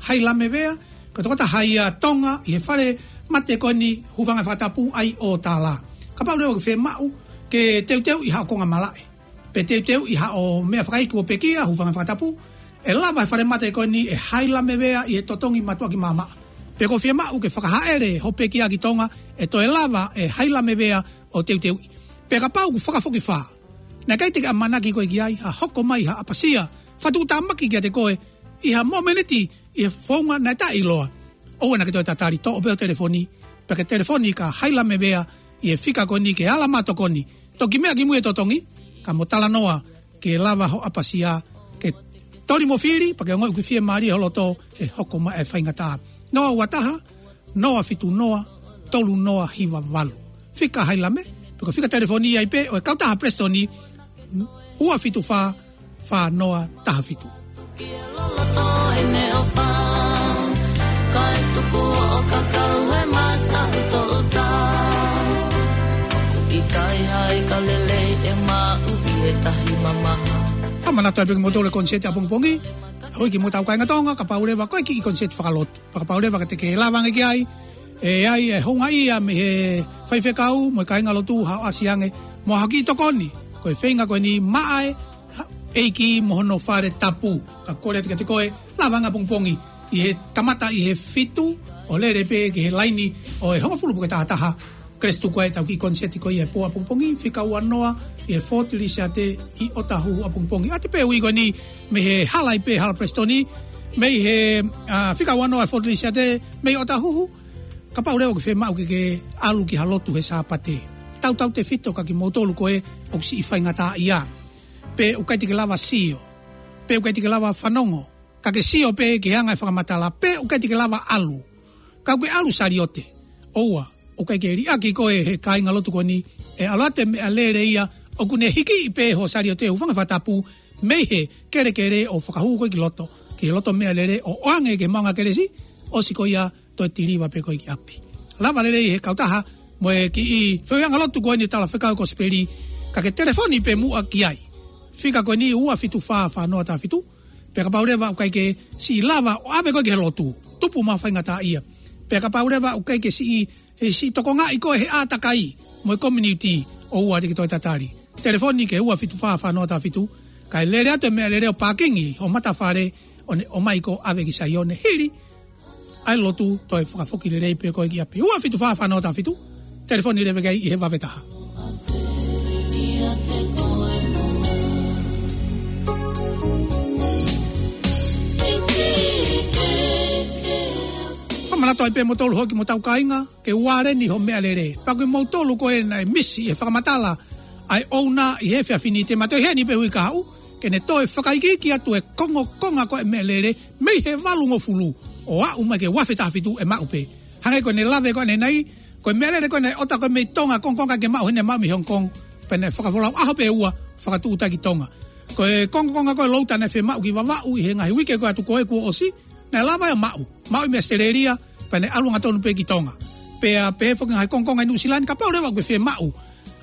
Hailamevea, ko e tokotaha ia Tonga ʻi he fale mate ko eni Hūfanga he Fakatapu ʻi ʻOtala. Kapau leva ʻoku fiemaʻu ke teuteuʻi haʻo konga malaʻe, pe teuteuʻi haʻo meʻa fakaiki kuo pekia, hūfanga he fakatapu, ʻe lava he falemate ko eni ʻe Hailamevea ʻi he totongi mātuʻaki maʻamaʻa. Pe ko e fiemaʻu ke fakahaʻele hoʻo pekia ki Tonga, ʻe toe lava ʻe Hailamevea ʻo teuteuʻi. Pea kapau ʻoku fakafokifā, naʻe ʻikai te ke ʻamanaki koe ki ai, ha hoko mai ha ʻapasia fakatuʻutāmaki kiate koe ʻi ha momeniti ʻi he founga naʻe taʻeʻiloa, ʻoua naʻa ke toe tatali, toʻo pē hoʻo telefoni, pea ke telefoni kia Hailamevea ʻi he fika ko eni ki he ala mātokoni. Toki meʻa kimui e totongi, ka mo talanoa ke lava hoʻo ʻapasia ke toli mo fili, pea ke ongoʻi ʻoku fiemālie ho loto he hoko mai e faingataʻa. Noa ua taha, noa fitu noa, tolu noa hiva valu. Fika Hailame, pe ko e fika telefoni ai pē ʻo e kautaha Prestoni, ua fitu fā, fā noa taha fitu. Ki he loloto ʻene ʻofa, kae tuku hoʻo kakau he mata ʻutoʻuta. ʻI Taihai ka lelei ʻe maʻu ʻi he tahi mamaha. Fakamanatu ai pē kimoutolu e koniseti ʻapongipongi. Hoi kimoutolu kāinga Tonga, kapau leva ko e kiʻi koniseti fakalotu, pea kapau leva ka te ke lava ange ki ai, ʻe ʻi ai e houngaʻia mei he faifekau mo e kāingalotu haʻo ʻasi ange mo ha kiʻi tokoni, ko e feinga ko eni maʻa e ʻEiki mo hono fale tapu. Ka kole atu kiate koe, lava ange ʻapongipongi ʻi he kamata ʻi he fitu ʻo lele pē ki he laini ʻo e hongofulu puke taha taha. Kelesi tuku ai ʻetau kiʻi koniseti ko ia he pō ʻapongipongi, fika ua noa ʻi he Fort Lisiate ʻi ʻOtahuhu ʻapongipongi. ʻAtu pē ui ko eni mei he hala ʻi pē, hala Prestoni, mei he, ā, fika ua noa ʻi he Fort Lisiate mei ʻOtahuhu. Kapau leva ʻoku fiemaʻu ke ke ʻalu ki ha lotu he Sāpate, tautautefito kia kimoutolu ko ē ʻoku siʻi faingataʻaʻia, pe ʻoku ʻikai te ke lava sio, pe ʻoku ʻikai te ke lava fanongo, ka ke sio pē ki he anga e fakamatala, pe ʻoku ʻikai te ke lava ʻalu. Ka ʻoku ke ʻalu saliote, ʻoua, ʻoku ʻikai ke liʻaki koe ʻe he kāingalotu ko eni, ʻe ʻalu atu e meʻalele ia ʻoku ne hikiʻi pē hoʻo saliote, hūfanga he fakatapu, mei he kelekele ʻo fakahū koe ki loto, ki he loto meʻalele ʻo ʻoange ki he maʻunga kelesi, ʻosi ko ia toe tiliva pē koe ki ʻapi. Lava lelei ʻe he kautaha mo e kiʻi feohiʻanga lotu ko eni Talafekau Kosipeli, ka ke telefoni pē muʻa ki ai. Fika ko eni ua fitu fā fā noa taha fitu, pea kapau leva ʻoku ʻikai ke siʻi lava ʻo ʻave koe ki he lotu, tupu maʻu faingataʻaʻia. Pea kapau leva ʻoku ʻikai ke siʻi ʻE siʻi tokongaʻi koe he ʻātakai mo e community, ʻoua te ke toe tatali. Telefoni ki he ua fitu fā fā noa taha fitu, kae lele atu e meʻalele ʻo pākingi ho matafale ʻo ne ʻomai koe ʻo ʻave ki Saione hili ʻa e lotu, toe fakafoki lelei pē koe ki ʻapi. Ua fitu fā fā noa taha fitu, telefoni leva ki ai ʻi he vave taha. Fakamanatu ai pē moutolu hoki mo hotau kāinga, ke ualeni hoʻo meʻalele. Pea ko kimoutolu ko ē naʻe misi ʻi he fakamatala ʻa e ʻouna ʻi he efiafi ni, te ma toe ʻi heni pē hui kahaʻu, ke ne toe fakaikiiki atu e kongokonga ko ē meʻalele, mei he valungofulu ʻo aʻu mai ki he ua afe taha fitu ʻe maʻu pē. Hangē ko ʻene lave ko ē ʻanenai, ko e meʻalele ko ē naʻe ʻota ko ē mei Tonga, kongokonga ke maʻu heni, maʻu mei Hong Kong, pea naʻe fakafolau ʻaho pē ʻe ua, fakatuʻuta ki Tonga. Ko e kongokonga ko ē louta naʻe fiemaʻu ki Vavaʻu ʻi he ngaahi uike ko ē atu ko ē kuo ʻosi, naʻe lava ia ʻo maʻu, maʻu ia mei ʻAositelēlia, pea naʻe ʻalu angatonu pē ki Tonga. Pea pehē foki ngaahi kongokonga ʻi Nuʻusila ni, kapau leva ʻoku ke fiemaʻu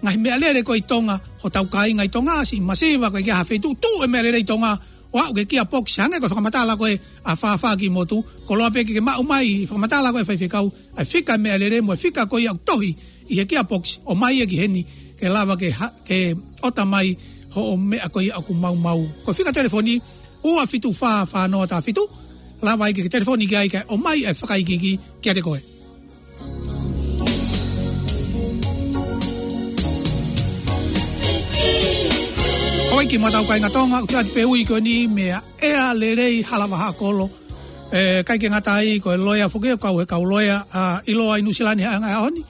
ngaahi meʻalele ko ē ʻi Tonga, hotau kāinga ʻi Tonga, siʻi masiva, ko e kiʻi ʻaho feituʻu, tuʻu e meʻalele ʻi Tonga ʻo aʻu ki he kia pokisi, hangē ko e fakamatala ko ē ʻa Fāfā ki motu, koloa pē ke ke maʻu mai, fakamatala ko ē ʻa e faifekau, ʻa e fika meʻalele mo e fika ko ia ʻoku tohi ʻi he kia pokisi, ʻomai ia ki heni, ke lava ke ha-, ke ʻota mai hoʻo meʻa ko ia ʻoku maumau. Ko e fika telefoni, ua fitu fā fā noa taha fitu, lava ai ke ke telefoni ki ai kae ʻomai e fakaikiiki kiate koe. Hoi ki mata o kāinga Tonga, ʻoku ʻi ai pē ui ko eni meia ʻEa Lelei Halavahaʻakolo. ʻE, ʻikai ke ngata ai, ko e loea foki ʻoku kau he kau loea, ʻa, ʻiloa ʻi Nuʻusila ni he ʻaho ni.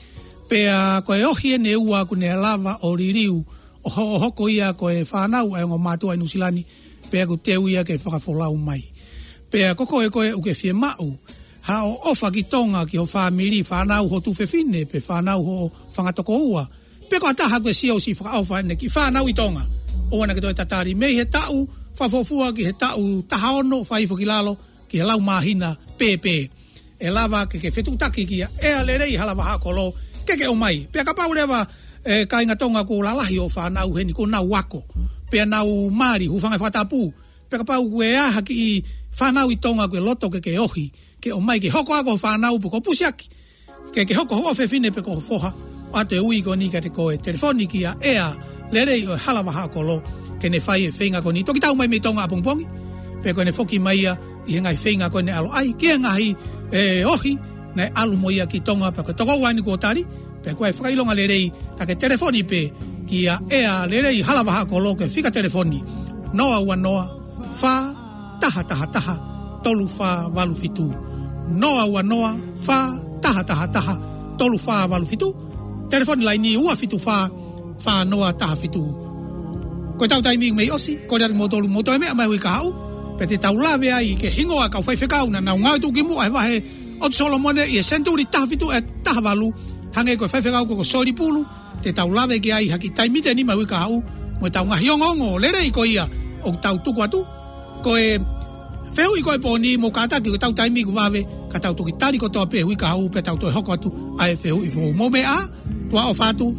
Pea ko e ohi ʻeni ʻe ua ʻoku ne lava ʻo liliu, ʻo ho-, ʻo hoko ia ko e fānau ʻa e ongo mātuʻa ʻi Nuʻusila ni, pea ʻoku teu ia ke fakafolau mai. Pea ko koe ko ē ʻoku ke fiemaʻu haʻo ʻofa ki Tonga, ki ho fāmili, fānau, ho tuofefine, pe fānau hoʻo fanga tokoua, pe ko ha taha ʻoku ke sio ʻoku siʻi fakaʻofa ʻene kiʻi fānau ʻi Tonga, ʻoua naʻa ke toe tatali. Mei he taʻu fakafuofua ki he taʻu taha ono, fakaʻosi ki lalo, ki he lau māhina pēpē, ʻe lava ke ke fetuʻutaki kia ʻEa Lelei Halavahaʻakolo ke ke ʻomai. Pea kapau leva, ʻe, kāinga Tonga, kuo lalahi hoʻo fānau heni, kuo nau ako, pea nau mali, hūfanga he fakatapu, pea kapau ʻoku ʻi ai ha kiʻi fānau ʻi Tonga ʻoku ke loto ke ke ohi, ke ʻomai ke hoko ʻa hoʻo fānau pe ko e pusiaki, ke ke hoko ho ʻofefine pe ko ho foha, ʻoatu e ui ko eni kiate koe, telefoni kia ʻEa Lelei ʻo e Halavahaʻakolo, ke ne fai e feinga ko eni. Toki tau mai mei Tonga ʻapongipongi, pea ko ʻene foki mai ia ʻi he ngaahi feinga ko ʻene ʻalu ai ki he ngaahi, ʻe, ohi, naʻe ʻalu mo ia ki Tonga, pea ko e tokoua ʻeni kuo tali, pea ko e fakaʻilonga lelei, ka ke telefoni pē kia ʻEa Lelei Halavahaʻakolo ki he fika telefoni, noa ua noa, fā, taha taha taha, tolu fā valu fitu. Noa ua noa, fā, taha taha taha, tolu fā valu fitu. Telefoni laini ua fitu fā, fā noa taha fitu. Ko ʻetau taimi mei ʻosi, kole atu kimoutolu mou toe meʻa mai hui kahaʻu, pea te tau lave ai ki he hingoa ʻo e kau faifekau naʻa nau ngāue tuʻukimuʻa he vahe ʻOtu Solomone ʻi he senituli taha fitu ʻe taha valu, hangē ko e faifekau ko, ko Soilī Pulu, te tau lave ki ai ha kiʻi taimi ʻe nima hui kahaʻu, mo ʻetau ngaahi ongoongo lelei ko ia ʻoku tau tuku atu. Ko e fehuʻi ko ē ʻo e pō ni, mou kātaki, ko ʻetau taimi ʻoku vave, ka tau toki tali kotoa pē hui kahaʻu pea tau toe hoko atu ʻa e fehuʻi foʻou. Mou meʻa ā, tuʻa ʻofa atu,